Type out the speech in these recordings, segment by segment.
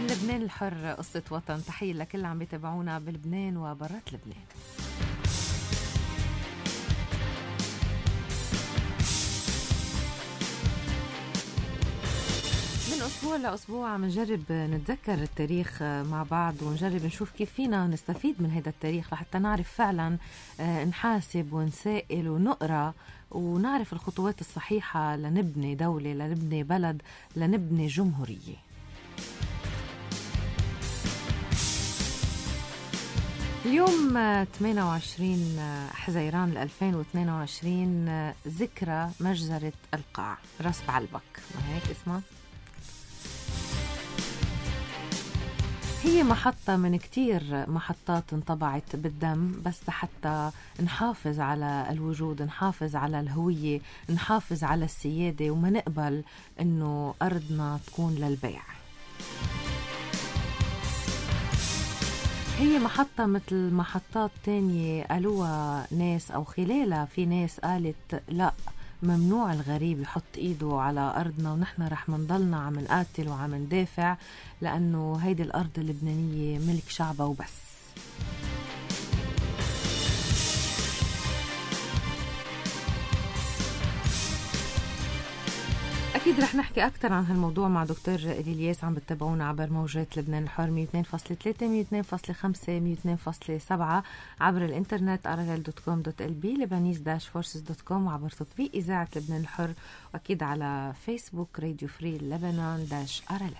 من لبنان الحر قصة وطن. تحية لكل اللي عم بيتابعونا بلبنان وبرات لبنان. من أسبوع لأسبوع عم نجرب نتذكر التاريخ مع بعض ونجرب نشوف كيف فينا نستفيد من هذا التاريخ لحتى نعرف فعلا نحاسب ونسائل ونقرأ ونعرف الخطوات الصحيحة لنبني دولة، لنبني بلد، لنبني جمهورية. اليوم 28 حزيران 2022 ذكرى مجزرة القاع راس بعلبك، ما هيك اسمها؟ هي محطة من كتير محطات انطبعت بالدم بس حتى نحافظ على الوجود، نحافظ على الهوية، نحافظ على السيادة وما نقبل انه ارضنا تكون للبيع. هي محطة مثل محطات تانية قالوها ناس أو خلالها في ناس قالت لا، ممنوع الغريب يحط إيده على أرضنا ونحن رح منضلنا عم نقاتل وعم ندافع لأنه هيدي الأرض اللبنانية ملك شعبها وبس. أكيد رح نحكي أكتر عن هالموضوع مع دكتور إلياس. عم بتتابعونا عبر موجات لبنان الحر 102.3 102.5 102.7 عبر الإنترنت rl.com.lb lebanese-forces.com وعبر تطبيق إذاعة لبنان الحر وأكيد على فيسبوك راديو فري لبنان-RLL.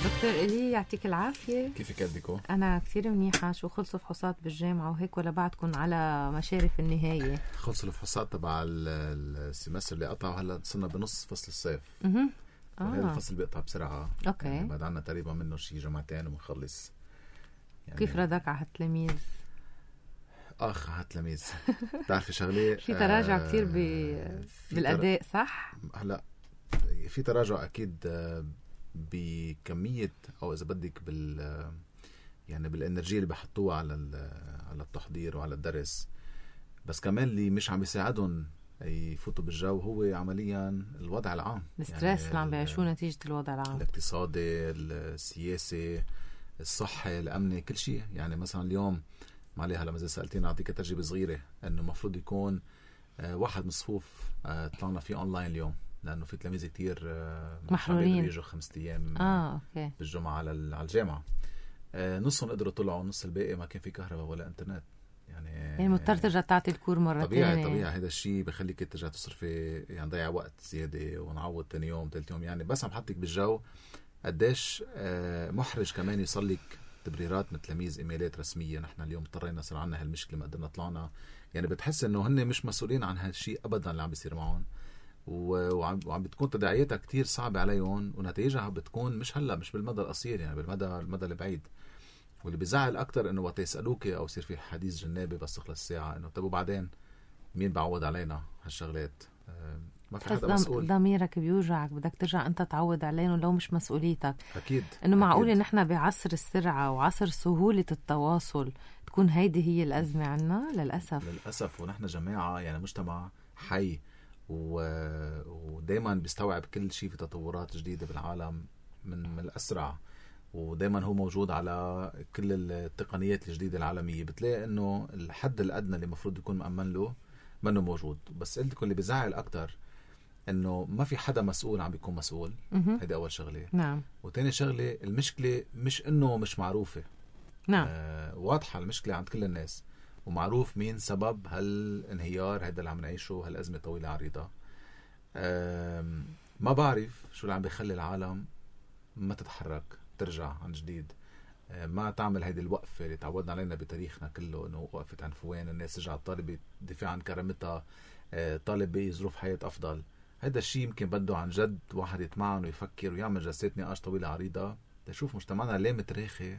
دكتور إلي يعطيك العافية. كيفك قدكو؟ أنا كثير منيحة. شو خلصوا فحوصات بالجامعة وهيك ولا بعدكم على مشارف النهاية؟ خلصوا الفحوصات تبع السمستر اللي قطعوا، هلا صرنا بنص فصل الصيف. هذا الفصل بيقطع بسرعة. أوكي. يعني بعد عنا تقريبا منه شي جمعتين ومنخلص. يعني كيف ردك على هالتلاميذ؟ هالتلاميذ بتعرفي شغلة في تراجع كتير بالأداء صح؟ هلا في تراجع أكيد بكمية أو إذا بدك يعني بالإنرجية اللي بحطوها على التحضير وعلى الدرس، بس كمان اللي مش عم بيساعدهم يفوتوا بالجو هو عمليا الوضع العام، الستريس يعني اللي عم بيعيشوه نتيجة الوضع العام، الاقتصادي، السياسي، الصحي، الأمني، كل شيء. يعني مثلا اليوم معلي هلا مثل سألتين أعطيك تجربة صغيرة إنه مفروض يكون واحد من الصفوف طلعنا فيه أونلاين اليوم لأنه في تلاميذ كتير محرورين يجوا 5 أيام أوكي. بالجمعة على الجامعة. نصهم قدروا طلعوا، نص الباقي ما كان في كهرباء ولا انترنت. يعني مضطر ترجع تعطي الكور مرة طبيعي. هذا الشيء بخليك ترجع تصرفي، يعني ضيع وقت زيادة ونعوض تاني يوم ثالث يوم. يعني بس عم حطك بالجو قديش محرج كمان يصلك تبريرات من تلاميذ ايميلات رسمية. نحن اليوم اضطرينا صار عنا هالمشكلة، ما قدرنا طلعنا. يعني بتحس انه هن مش مسؤولين عن هالشيء ابدا اللي عم بيصير معهم، وعم بتكون تداعياتها كتير صعبة عليهم، ونتائجها بتكون مش هلا، مش بالمدى القصير، يعني بالمدى البعيد. واللي بيزعل اكتر انه وقت يسالوك او يصير في حديث جنابي بس تخلص الساعه انه طب وبعدين مين بعوض علينا هالشغلات؟ ما في حدا مسؤول. ضميرك بيوجعك، بدك ترجع انت تعوض عليهم لو مش مسؤوليتك. اكيد انه معقول ان احنا بعصر السرعه وعصر سهوله التواصل تكون هيدي هي الازمه عنا؟ للاسف. ونحن جماعه يعني مجتمع حي ودايما بيستوعب كل شيء في تطورات جديده بالعالم من الاسرع، ودايما هو موجود على كل التقنيات الجديدة العالمية. بتلاقي انه الحد الادنى اللي مفروض يكون مأمن له منه موجود. بس قلت لكم اللي بيزعل اكتر انه ما في حدا مسؤول عم بيكون مسؤول. هيدا اول شغلة. نعم. وتاني شغلة، المشكلة مش انه مش معروفة. نعم. واضحة المشكلة عند كل الناس، ومعروف مين سبب هالانهيار هيدا اللي عم نعيشه، هالأزمة طويلة عريضة. ما بعرف شو اللي عم بيخلي العالم ما تتحرك ترجع عن جديد، ما تعمل هيدي الوقفة اللي تعودنا علينا بتاريخنا كله، انه وقفة عنفوان، الناس رجعت طالبة دفاع عن كرامتها، طالبة ظروف حياة افضل. هيدا الشيء يمكن بده عن جد واحد يتمعن ويفكر ويعمل جلسات نقاش طويلة عريضة تشوف مجتمعنا ليه متراخي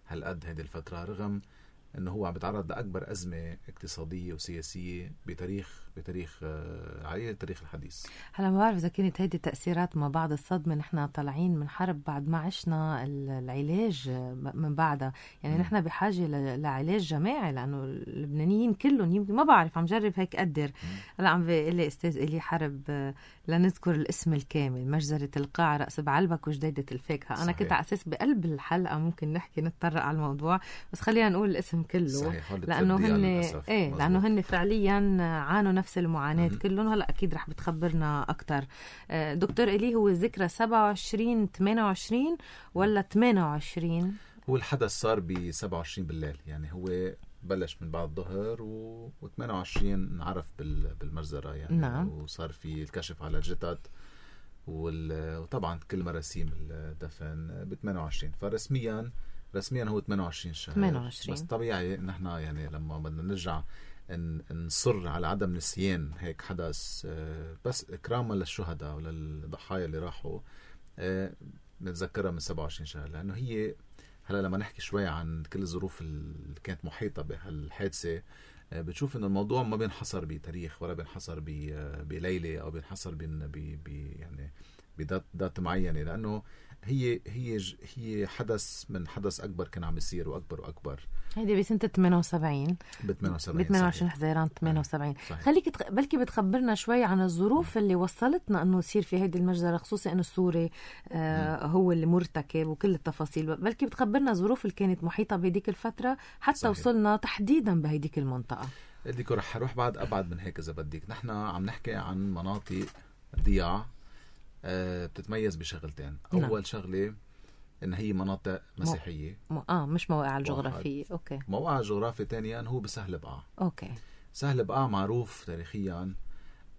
هالقد هيدي الفترة، رغم انه هو عم بيتعرض لاكبر ازمه اقتصاديه وسياسيه بتاريخ على التاريخ الحديث. هلا ما بعرف اذا كانت هيدي تاثيرات ما بعد الصدمه، نحن طالعين من حرب بعد ما عشنا العلاج من بعدها، يعني نحن بحاجه لعلاج جماعي، لانه اللبنانيين كلهم يمكن ما بعرف عم جرب هيك قدر. هلا عم بيقول لي استاذ إلي حرب لنذكر الاسم الكامل: مجزره القاع، راس بعلبك، وجديده الفاكهه. انا كنت على اساس بقلب الحلقه ممكن نحكي نتطرق على الموضوع، بس خلينا نقول الاسم كله. صحيح. لانه لانه هن فعليا عانوا نفس المعاناه كلهم. هلا اكيد رح بتخبرنا اكثر. دكتور إلي، هو الذكرى 27 28 ولا 28؟ هو الحدث صار ب 27 بالليل، يعني هو بلش من بعد الظهر و28 انعرف بالمجزرة يعني. نعم. وصار في الكشف على الجثث وطبعا كل مراسيم الدفن ب 28. فرسميا هو 28 شهر. 28. بس طبيعي نحن يعني لما بدنا نرجع نصر على عدم نسيان هيك حدث، بس إكراما للشهداء وللضحايا اللي راحوا، نتذكرها من 27 شهر. لأنه هي هلا لما نحكي شوي عن كل الظروف اللي كانت محيطة بهالحادثة، بتشوف إنه الموضوع ما بينحصر بتاريخ ولا بينحصر بليلة أو بينحصر يعني بذات معينة، لأنه هي حدث من حدث أكبر كان عم يصير وأكبر. هيدي بسنة 78 ب 28 حزيران 78. صحيح. خليك بلكي بتخبرنا شوي عن الظروف اللي وصلتنا انه يصير في هيدي المجزرة، خصوصا انه السوري هو اللي مرتكب وكل التفاصيل. بلكي بتخبرنا الظروف اللي كانت محيطة بهديك الفترة حتى صحيح. وصلنا تحديدا بهديك المنطقة. بدك رح اروح بعد ابعد من هيك اذا بدك. نحن عم نحكي عن مناطق ضياع بتتميز بشغلتين. اول شغله ان هي مناطق مسيحيه، مش مواقع الجغرافيه. اوكي. موقع الجغرافي ثانيا هو بسهل بقعة. اوكي. سهل بقعة معروف تاريخيا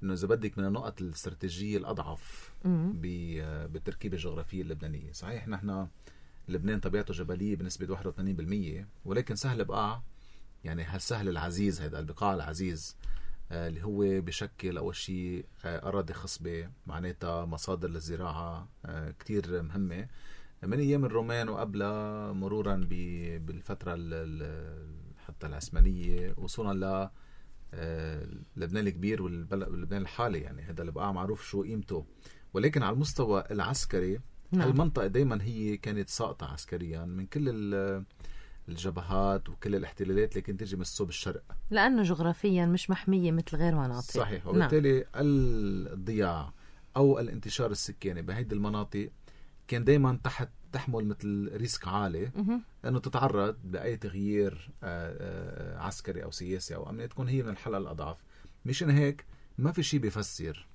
انه اذا بدك من النقط الاستراتيجيه الاضعف بالتركيبه الجغرافيه اللبنانيه. صحيح نحن لبنان طبيعته جبليه بنسبه 81%، ولكن سهل بقعة يعني هالسهل العزيز، هذا البقاع العزيز اللي هو بشكل أول شيء أراضي خصبة، معناتها مصادر للزراعة كتير مهمة من أيام الرومان وقبلها، مرورا بالفترة حتى العثمانية، وصولا لبنان الكبير واللبنان الحالي. يعني هذا البقاع معروف شو قيمته. ولكن على المستوى العسكري المنطقة دايما هي كانت ساقطة عسكريا من كل الجبهات وكل الاحتلالات اللي كانت تجي من الصوب الشرق، لأنه جغرافيا مش محمية مثل غير مناطق. صحيح. وبالتالي الضياع أو الانتشار السكاني بهيدي المناطق كان دايما تحمل مثل ريسك عالي أنه تتعرض بأي تغيير عسكري أو سياسي أو أمني، تكون هي من الحلقة الأضعف. مشان هيك ما في شيء بيفسر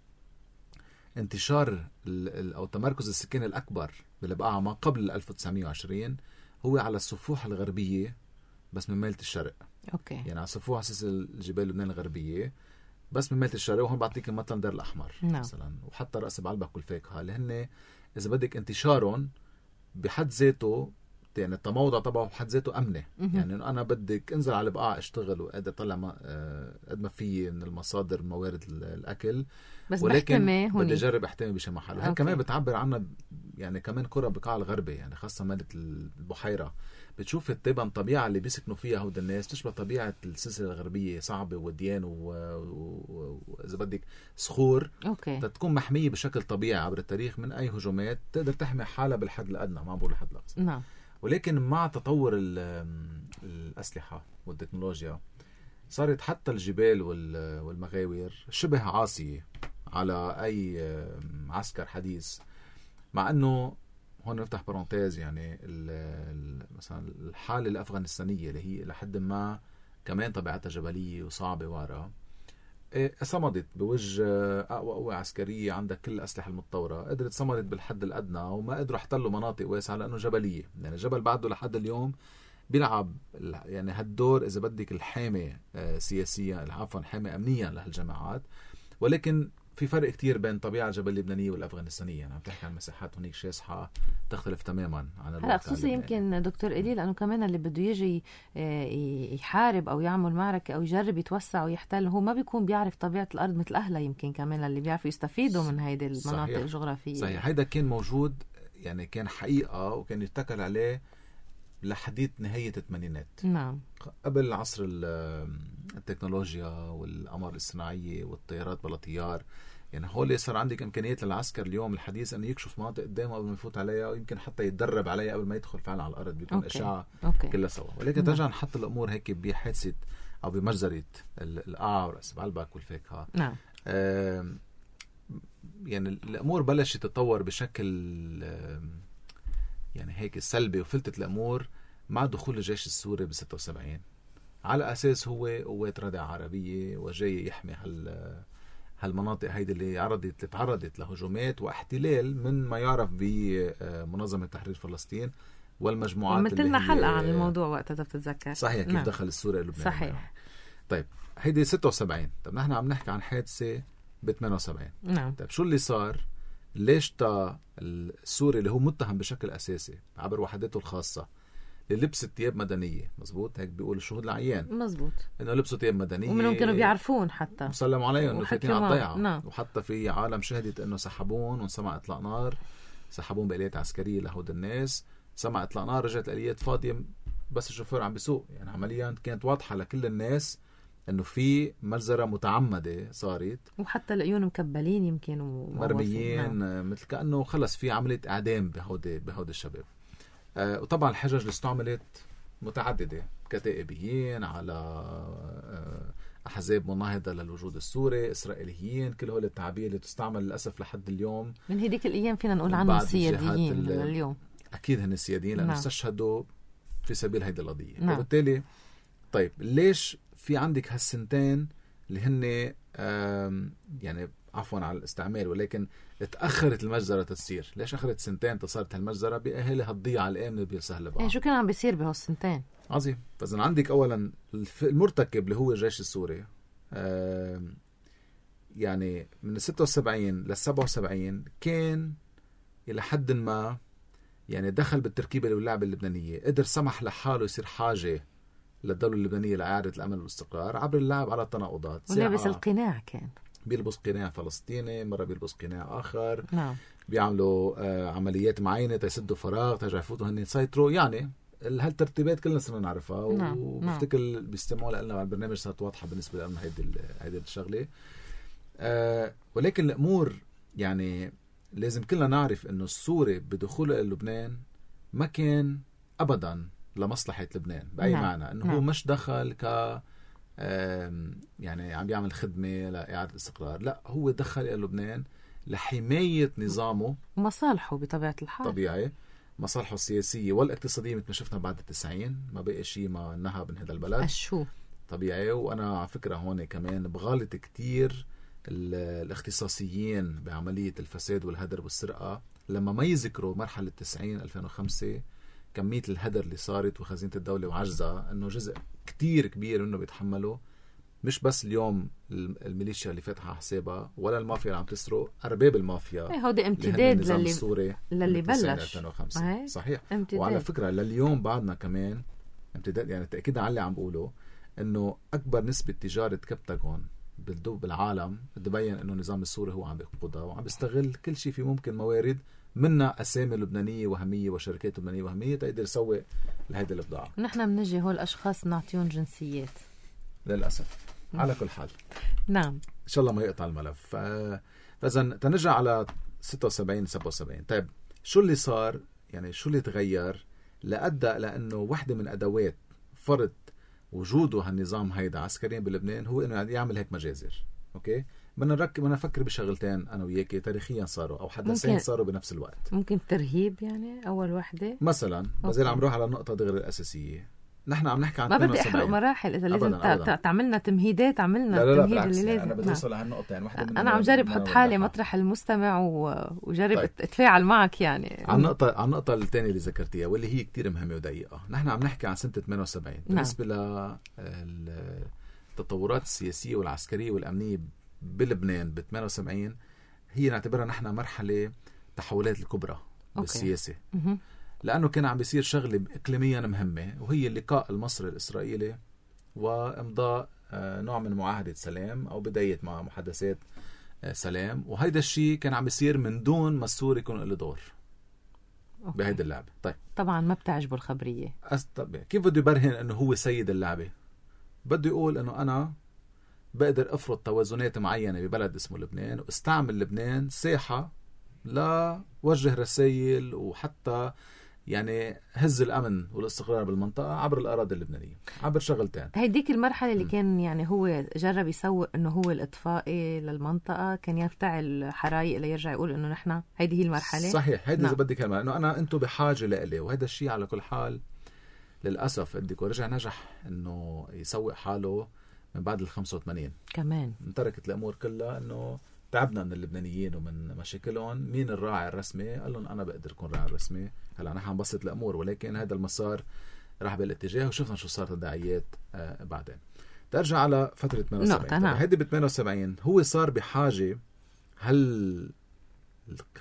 انتشار أو تمركز السكان الأكبر بالبقاع ما قبل 1920 هو على الصفوح الغربية بس من ميلة الشرق. أوكي. يعني على صفوح أساس الجبال لبنان الغربية بس من ميلة الشرق. وهون بعطيك مثلا دير الأحمر مثلا، وحتى رأس بعلبك والفاكهة اللي هن إذا بدك انتشارهم بحد ذاته، يعني التموضع طبعه بحد ذاته أمنة. يعني أنا بدك انزل على البقاع اشتغل وقادر طلع قد ما في من المصادر موارد الأكل، بس ولكن بدي أجرب أحتمي بشي محل. وهي كمان بتعبر عنها يعني كمان قرى بقاع الغربي، يعني خاصة مالة البحيرة. بتشوف الطبع الطبيعة اللي بيسكنوا فيها هود الناس تشبه طبيعة السلسلة الغربية، صعبة وديان وإذا بدك صخور. تكون محمية بشكل طبيعي عبر التاريخ من أي هجومات، تقدر تحمي حالها بالحد الأدنى، ما بقول الحد الأقصى. نعم. ولكن مع تطور الأسلحة والتكنولوجيا صارت حتى الجبال والمغاوير شبه عاصية على أي عسكر حديث. مع أنه هون نفتح برونتيز، يعني مثلا الحالة الأفغانستانية اللي هي لحد ما كمان طبيعتها جبلية وصعبة وارا، صمدت بوجه أقوى قوة عسكرية عندها كل الأسلحة المتطورة، قدرت صمدت بالحد الأدنى وما قدروا احتلوا مناطق واسعة لأنه جبلية. يعني الجبل بعده لحد اليوم بيلعب يعني هالدور إذا بدك الحامي سياسيا، عفوا حامي أمنيا لهالجماعات. ولكن في فرق كتير بين طبيعة الجبل اللبنانية والأفغانستانية. يعني عم تحكي عن مساحات هنيك شاسحة تختلف تماما عن الواقع. خصوصا يمكن دكتور إلي لأنه كمان اللي بده يجي يحارب أو يعمل معركة أو يجرب يتوسع ويحتل، هو ما بيكون بيعرف طبيعة الأرض مثل أهلها. يمكن كمان اللي بيعرفوا يستفيدوا من هيدي المناطق الجغرافية. صحيح. هيدا كان موجود، يعني كان حقيقة وكان يتكل عليه لحديث نهاية الثمانينات. نعم. قبل عصر التكنولوجيا والأقمار الصناعية والطيارات بلا طيار. يعني هول صار عندك إمكانيات للعسكر اليوم الحديث أنه يكشف مناطق قدامه قبل ما يفوت عليها، ويمكن حتى يتدرب عليها قبل ما يدخل فعلا على الأرض، بيكون إشعاع كلها سوا. ولكن ترجع نحط الأمور هيك بحادثة أو بمجزرة القاع ورأس بعلبك والفاكهة. نعم. يعني الأمور بلشت تتطور بشكل يعني هيك سلبي، وفلتت الأمور مع دخول الجيش السوري ب76 على أساس هو قوات ردع عربية وجاي يحمي هالمناطق هيدي اللي تعرضت لهجومات واحتلال من ما يعرف بمنظمة تحرير فلسطين والمجموعات مثلنا حلقة عن الموضوع وقتها بتتذكر. صحيح. كيف دخل السوري لبنان. صحيح. طيب هيدي 76. طب نحن عم نحكي عن حادثة ب78. نعم. طيب شو اللي صار؟ ليش السوري اللي هو متهم بشكل أساسي عبر وحداته الخاصة اللي لبست ثياب مدنية، مزبوط هيك بيقول الشهود العيان، مزبوط، انه لبسوا ثياب مدنية ومنهم كانوا بيعرفون حتى مسلم عليهم انه فاتين على الضيعة. نعم. وحتى في عالم شهدت انه سحبون وانسمع اطلاق نار، سحبون بآليات عسكرية لهود الناس، سمع اطلاق نار، رجعت الآليات فاضية بس الشوفير عم بيسوق. يعني عمليا كانت واضحة لكل الناس انه في مجزرة متعمدة صارت، وحتى العيون مكبلين يمكن مرميين. نعم. مثل كأنه خلص في عملية اعدام بهود الشباب. وطبعا الحجج اللي استعملت متعددة، كتائبيين على أحزاب مناهضة للوجود السوري، إسرائيليين، كل هول التعابير اللي تستعمل للأسف لحد اليوم. من هديك الأيام فينا نقول عنهم سياديين اليوم. أكيد هن السياديين لأنه استشهدوا في سبيل هيدي القضية. نعم. وبالتالي طيب ليش في عندك هالسنتين اللي هن يعني عفوا على الاستعمال، ولكن تأخرت المجزرة تصير؟ ليش أخرت سنتين تصارت هالمجزرة بأهل هالضيعة الآمنة بسهل بقى؟ شو كان عم بيصير بهالسنتين؟ عظيم. فإذا عندك أولا المرتكب اللي هو الجيش السوري، يعني من 76 ل 77 كان إلى حد ما يعني دخل بالتركيبة واللعبة اللبنانية، قدر سمح لحاله يصير حاجة للدولة اللبنانية لإعادة الأمن والاستقرار عبر اللعب على التناقضات. ولابس القناع، كان بيلبس قناع فلسطيني، مرة بيلبس قناع آخر. نعم. بيعملوا عمليات معينة تيسدوا فراغ، ترجع يفوتوا هن يسيطروا. يعني هالترتيبات كلنا صرنا نعرفها. نعم. وبفتكر بيستمعوا لنا على البرنامج صارت واضحة بالنسبة لنا هيدي الشغلة. ولكن الأمور يعني لازم كلنا نعرف إنه السوري بدخوله إلى لبنان ما كان أبدا لمصلحة لبنان بأي نعم. معنى. إنه هو مش دخل يعني عم بيعمل خدمة لإعادة الاستقرار، لا، هو دخل إلى لبنان لحماية نظامه ومصالحه بطبيعة الحال. طبيعي، مصالحه السياسية والاقتصادية مثل ما شفنا بعد 90. ما بقى شيء ما نهب من هذا البلد. شو طبيعي. وأنا على فكرة هون كمان بغالط كتير الاختصاصيين بعملية الفساد والهدر والسرقة لما ما يذكروا مرحلة 90-2005 كمية الهدر اللي صارت وخزينة الدولة وعجزها، انه جزء كتير كبير منه بيتحمله مش بس اليوم الميليشيا اللي فاتحة حسابها ولا المافيا اللي عم تسرق، أرباب المافيا. هودي امتداد للي بلش 2005. صحيح. امتداد. وعلى فكرة لليوم بعدنا كمان امتداد. يعني تأكيد على اللي عم بقوله انه اكبر نسبة تجارة كبتاغون بالعالم تبين انه النظام السوري هو عم بيقودها وعم بيستغل كل شيء في ممكن موارد، منها اسامي لبنانيه وهميه وشركات لبنانيه وهميه تقدر يسوق لهيدي البضاعه. نحن بنجي هول الاشخاص نعطيهم جنسيات للاسف. على كل حال نعم ان شاء الله ما يقطع الملف. فاذا تنرجع على 76-77. طيب شو اللي صار؟ يعني شو اللي تغير لأدى لانه واحدة من ادوات فرض وجوده هالنظام هيدا عسكريا بلبنان هو انه يعمل هيك مجازر. اوكي، بدنا نفكر بشغلتين انا وياكي تاريخيا صاروا او حدثين صاروا بنفس الوقت. ممكن ترهيب يعني اول وحده مثلا. بزيل عم روح على النقطه دغري الاساسيه. نحن عم نحكي عن ما بدي احرق مراحل. اذا لازم تعملنا تمهيدات عملنا التمهيد اللي لازم. انا بدي اوصل لهالنقطه. يعني انا عم جرب احط حالي مطرح المستمع وجرب اتفاعل معك. يعني على النقطه الثانيه اللي ذكرتيها واللي هي كتير مهمه ودقيقه. نحن عم نحكي عن سنه 78 بالنسبه للتطورات السياسيه والعسكريه والامنيه بلبنان ب 78. هي نعتبرها نحن مرحله تحولات الكبرى بالسياسه. لأنه كان عم بيصير شغلة إقليميا مهمة، وهي اللقاء المصري الإسرائيلي وإمضاء نوع من معاهدة سلام أو بداية مع محادثات سلام. وهيدا الشيء كان عم بيصير من دون ما السوري يكون له دور. بهيدي اللعبة. طيب طبعا ما بتعجبه الخبرية. كيف بده يبرهن انه هو سيد اللعبة؟ بده يقول انه انا بقدر افرض توازنات معينة ببلد اسمه لبنان، واستعمل لبنان ساحة لوجه رسائل وحتى يعني هز الأمن والاستقرار بالمنطقة عبر الأراضي اللبنانية، عبر شغلتين. هيديك المرحلة اللي كان يعني هو جرب يسوق إنه هو الإطفائي للمنطقة، كان يفتعل حرايق ليرجع يقول إنه نحن هيدي هي المرحلة. صحيح، هيدي إذا بدك إنه أنتم بحاجة لإلي، وهذا الشيء على كل حال للأسف بدك ورجع نجح إنه يسوق حاله من بعد 85 كمان. تركت الأمور كلها إنه تعبنا من اللبنانيين ومن مشاكلهم. مين الراعي الرسمي؟ قال لهم أنا بقدر أكون راعي الرسمي. هلا نحن نبسط الأمور، ولكن هذا المسار راح بالاتجاه، وشفنا شو صارت الداعيات بعدين. ترجع على فترة 78. هيدي ب 78 هو صار بحاجة،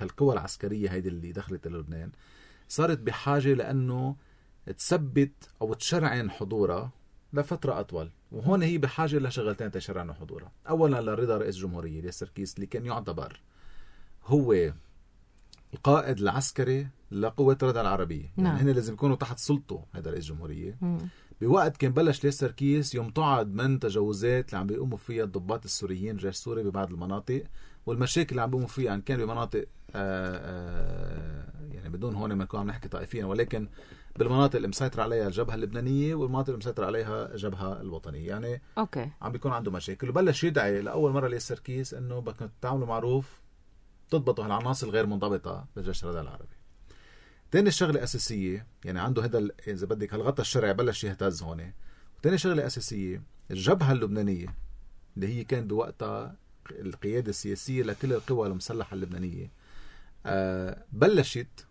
هالقوى العسكرية هيدي اللي دخلت لبنان صارت بحاجة لأنه تثبت أو تشرعن حضورها لفترة أطول. وهون هي بحاجة لشغلتين تشرعن حضورها. أولا لرضا رئيس الجمهورية الياس سركيس، اللي كان يعتبر هو القائد العسكري لقوات الردع العربية. يعني هن لازم يكونوا تحت سلطه هذا رئيس الجمهورية. بوقت كان بلش الياس سركيس يمتعض من تجاوزات اللي عم بيقوموا فيها الضباط السوريين الجيش السوري ببعض المناطق، والمشاكل اللي عم بيقوموا فيها يعني كان بمناطق يعني بدون هون ما نكون عم نحكي طائفيا، ولكن بالمناطق اللي مسيطر عليها الجبهة اللبنانية والمناطق اللي مسيطر عليها الجبهة الوطنية. يعني عم بيكون عنده مشاكل، وبلش يدعي لأول مرة الياس سركيس إنه بدكم تعملوا معروف تضبطوا هالعناصر الغير منضبطة للجيش الردع العربي. تاني شغلة أساسية، يعني عنده هذا إذا بدك هالغطاء الشرعي بلش يهتز هون. وتاني شغلة أساسية، الجبهة اللبنانية اللي هي كان بوقتها القيادة السياسية لكل القوى المسلحة اللبنانية بلشت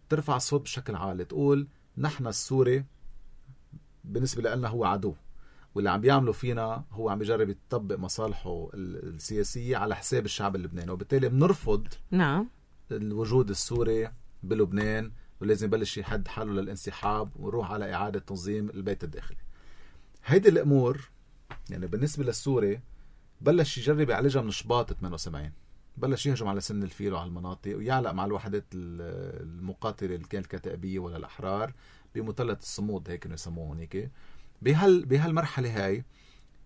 ترفع الصوت بشكل عالي، تقول نحن السوري بالنسبة لنا هو عدو، واللي عم بيعملوا فينا هو عم بيجرب يطبق مصالحه السياسية على حساب الشعب اللبناني، وبالتالي بنرفض الوجود السوري بلبنان، ولازم يبلش يحد حاله للانسحاب ونروح على إعادة تنظيم البيت الداخلي. هيدي الأمور يعني بالنسبة للسوري بلش يجرب يعالجها من شباط 78. بلش يهجم على سن الفيل وعلى المناطق ويعلق مع الوحدات المقاتلة اللي كانت الكتائبية ولا الأحرار بمثلث الصمود، هيك يسموه هيك. بهالمرحلة هاي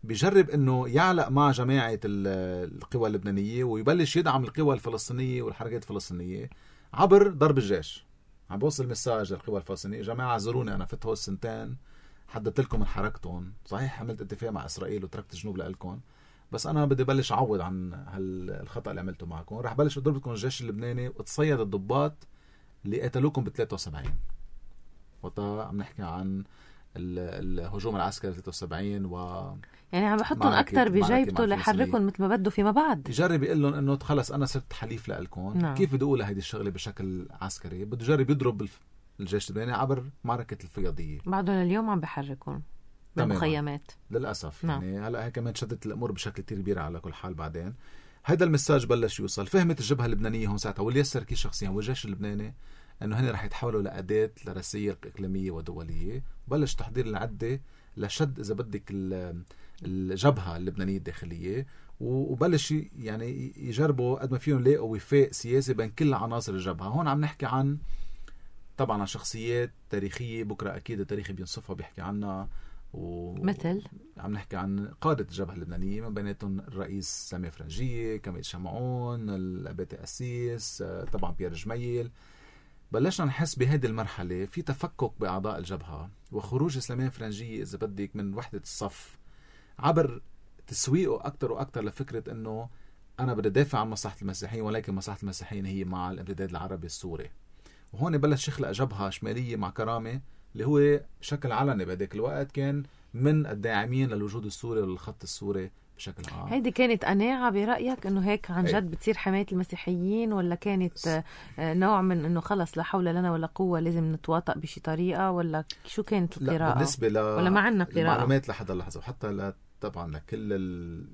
بيجرب انه يعلق مع جماعة القوى اللبنانية ويبلش يدعم القوى الفلسطينية والحركات الفلسطينية عبر ضرب الجيش. عم بوصل مساج للقوى الفلسطينية، جماعة زوروني أنا فتحوا السنتين حددت لكم من حركتهم، صحيح عملت اتفاق مع إسرائيل وتركت الجنوب لألكم، بس أنا بدي بلش أعوض عن هالخطأ اللي عملته معكم. رح بلش أضرب لكم الجيش اللبناني وتصيد الضباط اللي قتلوكم ب 73. وطا عم نحكي عن الهجوم العسكري 73 يعني عم بحطهم أكتر بجيبته ليحركهم مثل ما بده فيما بعد. يجرب يقول لهم إنه خلص أنا صرت حليف لألكم. كيف بده يقول هيدي الشغلة بشكل عسكري؟ بده يجرب يضرب الجيش اللبناني عبر معركة الفياضية. بعده لليوم عم بحركون بالمخيمات للأسف. يعني هلأ هي كمان شدت الأمور بشكل كتير كبير على كل حال. بعدين هيدا المساج بلش يوصل، فهمت الجبهة اللبنانية هون ساعتها والياس سركيس شخصيا والجيش اللبناني انه هن رح يتحولوا لأداة لرسائل إقليمية ودولية. بلش تحضير العدة لشد إذا بدك الجبهة اللبنانية الداخلية، وبلش يعني يجربوا قد ما فيهم يلاقوا وفاق سياسي بين كل عناصر الجبهة. هون عم نحكي عن طبعا عن شخصيات تاريخية بكرة أكيد التاريخ بينصفها بيحكي عنها، مثل عم نحكي عن قادة الجبهة اللبنانية من بيناتهم الرئيس سامي فرنجية، كمال شمعون، الأباتي أسيس، طبعا بيير جميل. بلشنا نحس بهذه المرحلة في تفكك بأعضاء الجبهة وخروج سليمان فرنجية إذا بدك من وحدة الصف عبر تسويقه أكتر وأكتر لفكرة أنه أنا بدي دافع عن مصلحة المسيحيين، ولكن مصلحة المسيحيين هي مع الامتداد العربي السوري. وهون بلش يخلق جبهة شمالية مع كرامة اللي هو بشكل علني بهداك الوقت كان من الداعمين للوجود السوري وللخط السوري بشكل عام. هيدي كانت قناعة برأيك انه هيك عن جد بتصير حماية المسيحيين، ولا كانت نوع من انه خلص لا حول لنا ولا قوة لازم نتواطأ بشي طريقة، ولا شو كانت القراءة؟ بالنسبة ولا ما عنا قراءة المعلومات لحد اللحظة، وحتى طبعا لكل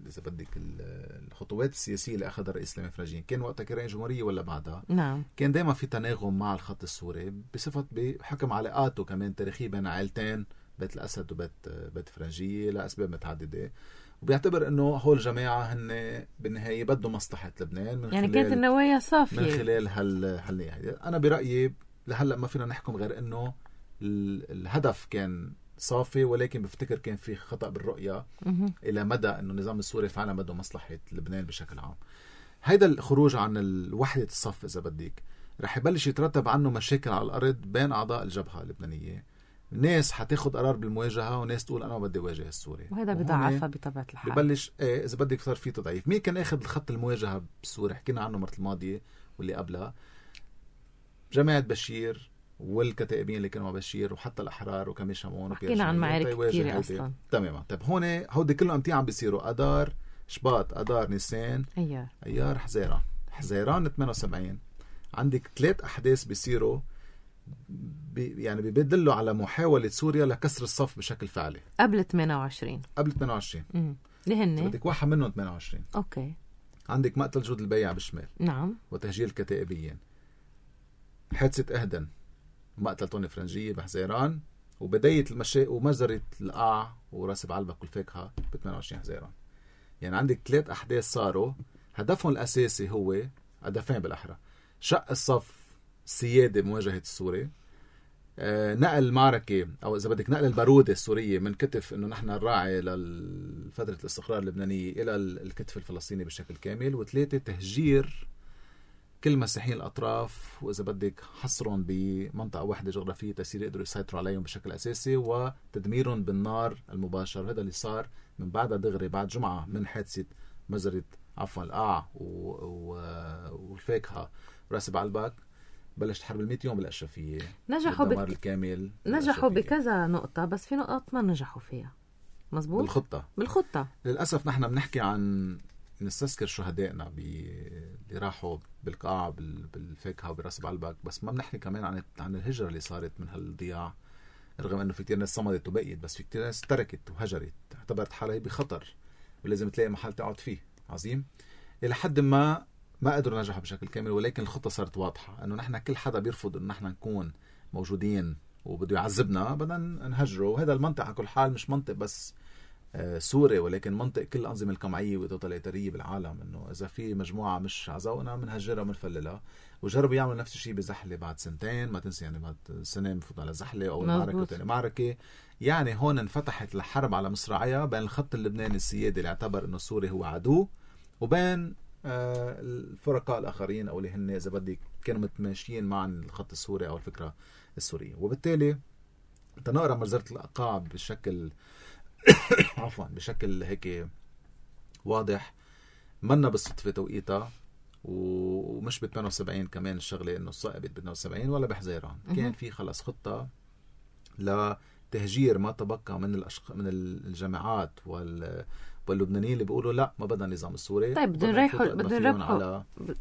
إذا بدك الخطوات السياسية اللي أخذها الرئيس سليمان فرنجي كان وقتها كرئيس جمهورية ولا بعدها. نعم. كان دائما في تناغم مع الخط السوري بصفة بحكم علاقاته كمان تاريخية بين عائلتين بيت الأسد وبيت فرنجية لأسباب متعددة، وبيعتبر انه هول الجماعه هن بالنهايه بدهم مصلحه لبنان من يعني كانت النوايا صافيه من خلال هالنية. انا برايي لهلأ ما فينا نحكم غير انه الهدف كان صافي، ولكن بفتكر كان في خطأ بالرؤية الى مدى انه النظام السوري فعلا بده مصلحة لبنان بشكل عام. هيدا الخروج عن وحدة الصف اذا بدك رح يبلش يترتب عنه مشاكل على الارض بين اعضاء الجبهة اللبنانية. ناس حتاخد قرار بالمواجهة وناس تقول انا ما بدي واجه السوري، وهذا بضعفها بطبيعة الحال. ببلش اذا بدك صار في تضعيف. مين كان اخذ الخط المواجهة بسوريا؟ حكينا عنه مرة الماضية واللي قبلها، جماعة بشير والكتائبين اللي كانوا مع بشير وحتى الأحرار وكميل شامون. حكينا عن معارك كتيرة أصلا. تماما. طيب هون هودي كلهم امتى عم بيصيروا؟ أدار، شباط، أدار، نيسان، أيار، حزيران. حزيران 78 عندك 3 أحداث بيصيروا يعني بيدلوا على محاولة سوريا لكسر الصف بشكل فعلي. قبل 28 اللي هن بدك واحد منهم 28. أوكي. عندك مقتل جود البيع بالشمال، نعم، وتهجير الكتائبيين، حادثة أهدن، مقتل طوني فرنجية بحزيران، وبداية ومجزرة القاع وراس بعلبك والفاكهة ب 28 حزيران. يعني عندك 3 أحداث صاروا هدفهم الأساسي هو هدفين بالأحرى: شق الصف السيادة بمواجهة السوري، نقل المعركة أو إذا بدك نقل البارودة السورية من كتف إنه نحن الراعي لفترة الاستقرار اللبنانية إلى الكتف الفلسطيني بشكل كامل. و3 تهجير كل مسيحيين الأطراف، وإذا بدك حصرهم بمنطقة واحدة جغرافية تسير يقدروا يسيطروا عليهم بشكل أساسي، وتدميرهم بالنار المباشر. هذا اللي صار من بعدها دغري بعد جمعة من حادثة مجزرة القاع والفاكهة وراس بعلبك. بلشت حرب 100 يوم بالأشرفية، نجحوا الكامل. نجحوا بكذا نقطة، بس في نقط ما نجحوا فيها. مزبوط. بالخطة للأسف نحن بنحكي عن نستذكر شهدائنا اللي راحوا بالقاع بالفاكهة وبراس بعلبك، بس ما بنحكي كمان عن الهجرة اللي صارت من هالضياع. رغم انه في كتير ناس صمدت وبقيت، بس في كتير ناس تركت وهجرت، اعتبرت حالها بخطر ولازم تلاقي محل تقعد فيه. عظيم. الى حد ما قدروا نجحوا بشكل كامل، ولكن الخطة صارت واضحة انه نحن كل حدا بيرفض انه نحن نكون موجودين وبده يعذبنا بدنا نهجره. وهذا المنطق على كل حال مش منطق بس سوري، ولكن منطق كل الأنظمة القمعية والتوتاليتارية بالعالم، إنه إذا في مجموعة مش عزونا منهجرها ومنفللها. وجربوا يعملوا نفس الشيء بزحلة بعد 2 سنين، ما تنسي يعني بعد سنة مفوت على زحلة أو معركة وتاني معركة. يعني هون انفتحت الحرب على مصراعيها بين الخط اللبناني السيادي اللي اعتبر إنه سوري هو عدو، وبين الفرقاء الآخرين أو اللي هن إذا بدك كانوا متماشيين مع الخط السوري أو الفكرة السورية. وبالتالي تنقرأ مجزرة القاع بشكل بشكل هيك واضح، منا بالصدفة توقيتها، ومش ب 78 كمان الشغلة انه صائبت ب 72 ولا بحزيران. كان في خلص خطة لتهجير ما تبقى من الجامعات واللبنانيين اللي بيقولوا لا ما بدنا النظام السوري. طيب بدنا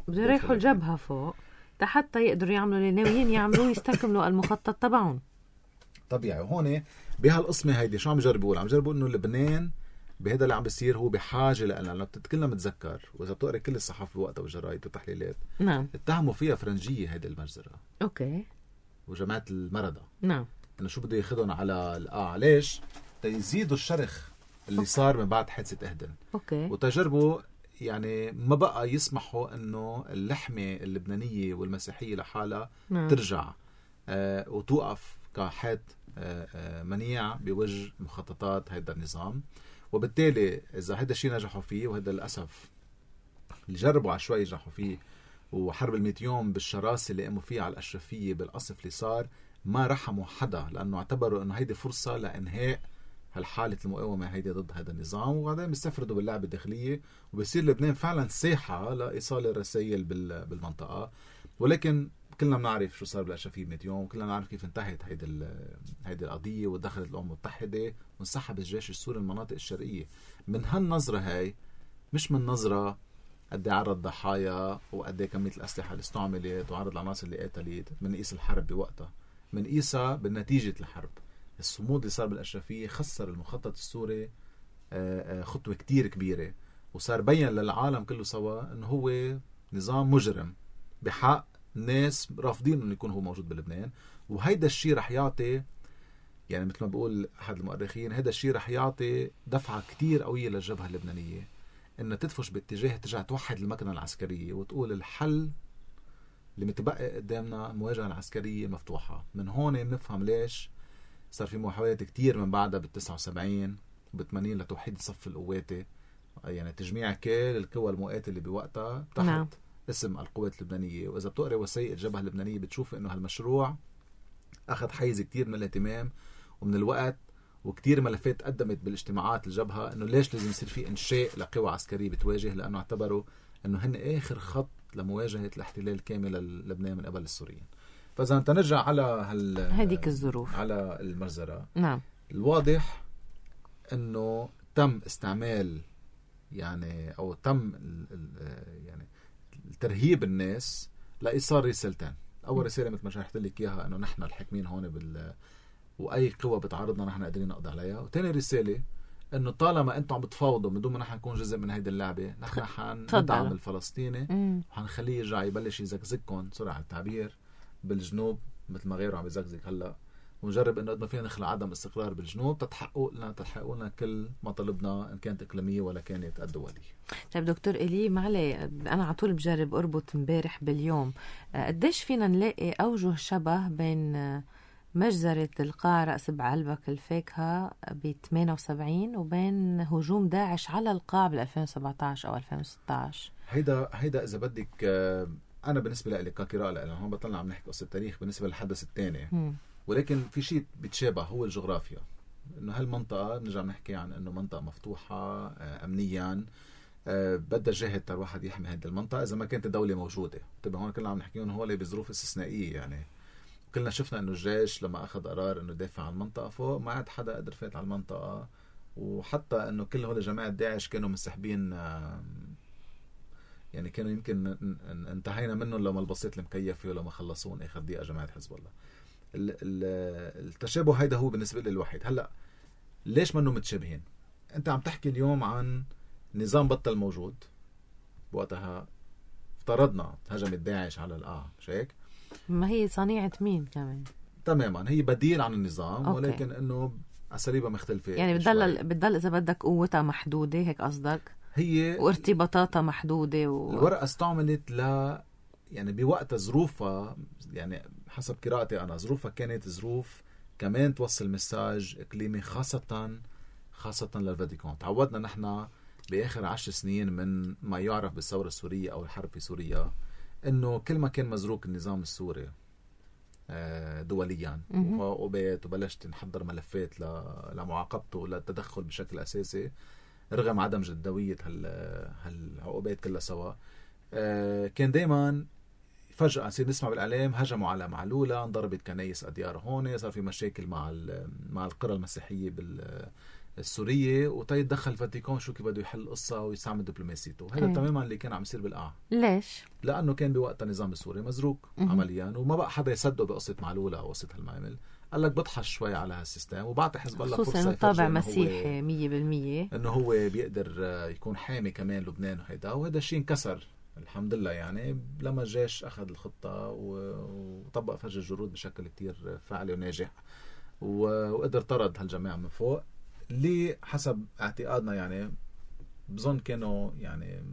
يريحوا الجبهة فوق حتى يقدروا يعملوا اللي ناويين يعملوا، يستكملوا المخطط تبعهم. طبيعي. وهون بهالقسمة هيدي شو عم يجربوا؟ عم يجربوا انه لبنان بهذا اللي عم بيصير هو بحاجة لأنه كلنا متذكر، وإذا بتقرأ كل الصحافة وقتها والجرايد والتحليلات، نعم، اتهموا فيها فرنجية هيدي المجزرة. أوكي. وجماعة المردة، نعم، إنه شو بده ياخذهم على القاع. ليش؟ تيزيدوا الشرخ اللي صار من بعد حادثة أهدن. أوكي. وتجربوا يعني ما بقى يسمحوا إنه اللحمة اللبنانية والمسيحية لحالها ترجع وتوقف كحد منيع بوجه مخططات هيدا النظام. وبالتالي إذا هيدا الشيء نجحوا فيه، وهذا للأسف اللي جربوا عشوائي ينجحوا فيه، وحرب 100 يوم بالشراسة اللي قاموا فيها على الأشرفية بالقصف اللي صار، ما رحموا حدا لأنه اعتبروا أنه هيدي فرصة لإنهاء هالحالة المقاومة هيدي ضد هذا النظام. وبعدين بيستفردوا باللعبة الداخلية، وبيصير لبنان فعلا ساحة لإيصال الرسائل بالمنطقة. ولكن كلنا بنعرف شو صار بالأشرفية 100 يوم، كلنا نعرف كيف انتهت هيدي القضية، ودخلت الأمم المتحدة وانسحب الجيش السوري من المناطق الشرقية. من هالنظرة هاي، مش من نظرة قد عرض ضحايا وقد كمية الأسلحة اللي استعملت وعرض العناصر اللي قتلت، من قيس الحرب بوقتها، من قيسها بالنتيجة الحرب. الصمود اللي صار بالأشرفية خسر المخطط السوري خطوة كتير كبيرة، وصار بين للعالم كله سوا انه هو نظام مجرم بحق ناس رافضين انه يكون هو موجود بلبنان. وهيدا الشيء رح يعطي، يعني مثل ما بقول احد المؤرخين، هيدا الشيء رح يعطي دفعة كتير قوية للجبهة اللبنانية انها تدفش باتجاه ترجع توحد المكنة العسكرية وتقول الحل اللي متبقي قدامنا المواجهة العسكرية مفتوحة. من هون بنفهم ليش صار في محاولات كتير من بعدها بال79 وبال80 لتوحيد صف القوات، يعني تجميع كل القوى المقاتلة بوقتها تحت اسم القوات اللبنانية. وإذا بتقرأ وثائق الجبهة اللبنانية بتشوف إنه هالمشروع أخذ حيز كتير من الاهتمام ومن الوقت، وكتير ملفات قدمت بالاجتماعات الجبهة إنه ليش لازم يصير في إنشاء لقوى عسكرية بتواجه، لأنه اعتبروا إنه هن آخر خط لمواجهة الاحتلال الكامل للبنان من قبل السوريين. فإذا أنت نرجع على هذيك الظروف على المجزرة، نعم، الواضح إنه تم استعمال يعني أو تم يعني ترهيب الناس لإيصال رسالتين. أول رسالة مثل ما شرحت لك إياها إنه نحن الحاكمين هون وأي قوة بتعارضنا نحن قادرين نقضي عليها. وتاني رسالة إنه طالما أنتم عم بتفاوضوا من دون ما نحن نكون جزء من هيدي اللعبة، نحن حندعم الفلسطيني وحنخليه يرجع يبلش يزقزقكم سرعة التعبير بالجنوب مثل ما غيره عم يزقزق هلا، ونجرب انه قد ما فينا نخلق عدم استقرار بالجنوب تتحققوا لنا كل مطالبنا ان كانت اقليميه ولا كانت الدوليه. طيب دكتور إلي معلي، انا على طول بجرب اربط امبارح باليوم. قديش فينا نلاقي اوجه شبه بين مجزرة القاع رأس بعلبك الفاكهة ب 78 وبين هجوم داعش على القاع بال 2017 او 2016؟ هيدا اذا بدك انا بالنسبه لي كقراءه لأ هون بطلنا عم نحكي قصه تاريخ بالنسبه للحدث الثاني، ولكن في شيء بيتشابه هو الجغرافيا. انه هالمنطقه بنرجع نحكي عن انه منطقه مفتوحه امنيا، بدها جهد تر واحد يحمي هذه المنطقه اذا ما كانت الدوله موجوده. طيب هون كلنا عم نحكيهم هو بظروف استثنائيه، يعني كلنا شفنا انه الجيش لما اخذ قرار انه يدافع عن المنطقه فوق ما عاد حدا قدر فات على المنطقه، وحتى انه كل هول جماعه داعش كانوا منسحبين، يعني كانوا يمكن انتهينا منهم لو ما البسيط المكيفه ولو ما خلصون اخر دقيقه جماعه حزب الله. التشابه هيدا هو بالنسبه لي الوحيد. هلا ليش منه متشابهين؟ انت عم تحكي اليوم عن نظام بطل موجود، وقتها افترضنا هجمت داعش على القاع، مش هيك؟ ما هي صنيعه مين كمان تماما، هي بديل عن النظام. أوكي. ولكن انه اساليبها مختلفه، يعني بتضل اذا بدك قوتها محدوده، هيك قصدك؟ هي وارتباطاتها محدوده الورقه استعملت يعني بوقتها ظروفها، يعني حسب قراءتي أنا ظروفها كانت ظروف كمان توصل مساج إقليمي خاصة للفاتيكان. تعودنا نحن بآخر 10 سنين من ما يعرف بالثورة السورية أو الحرب في سوريا إنه كل ما كان مزروق النظام السوري دوليا وعقوبات وبلشت نحضر ملفات لمعاقبته وللتدخل بشكل أساسي رغم عدم جدوية هالعقوبات كلها سوا، كان دايما فجأة نصير نسمع بالإعلام هجموا على معلولة، انضربت كنايس أديار هون، صار في مشاكل مع القرى المسيحية بالسورية، وتيدخل الفاتيكان شو كيف بده يحل القصة ويستعمل دبلوماسيته. هذا تماما اللي كان عم يصير بالقاع. ليش؟ لأنه كان بوقتها النظام السوري مزروق عمليا، وما بقى حدا يصدق بقصة معلولة أو قصة هالمعامل. قال لك بضحش شوي على هالسيستم وبعطي حزب الله فرصة، خصوصا طابع مسيحي 100%، إنه هو بيقدر يكون حامي كمان لبنان وهذا الشيء انكسر الحمد لله. يعني لما الجيش أخذ الخطة وطبق فج الجرود بشكل كتير فعلي وناجح وقدر طرد هالجماعة من فوق اللي حسب اعتقادنا يعني بظن كانوا يعني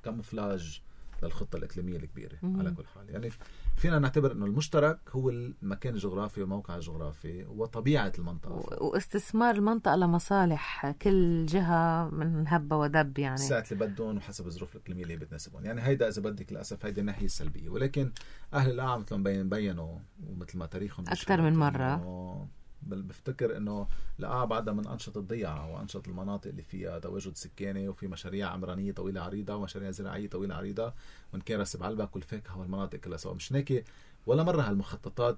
كاموفلاج للخطة الإقليمية الكبيرة. على كل حال يعني فينا نعتبر أنه المشترك هو المكان الجغرافي والموقع الجغرافي وطبيعة المنطقة واستثمار المنطقة لمصالح كل جهة من هبة ودب، يعني ساعة اللي بدهم وحسب الظروف الإقليمية اللي بتناسبهم. يعني هيدا إذا بدك للأسف هيدا الناحية السلبية، ولكن أهل القاع مثل ما بينوا ومثل ما تاريخهم أكثر من مرة بفتكر انه القاع بعدها من انشط الضيعه وانشط المناطق اللي فيها تواجد سكاني وفي مشاريع عمرانيه طويله عريضه ومشاريع زراعيه طويله عريضه، وان كان راس بعلبك والفاكهه والمناطق كلها سوا. مش هيك ولا مره هالمخططات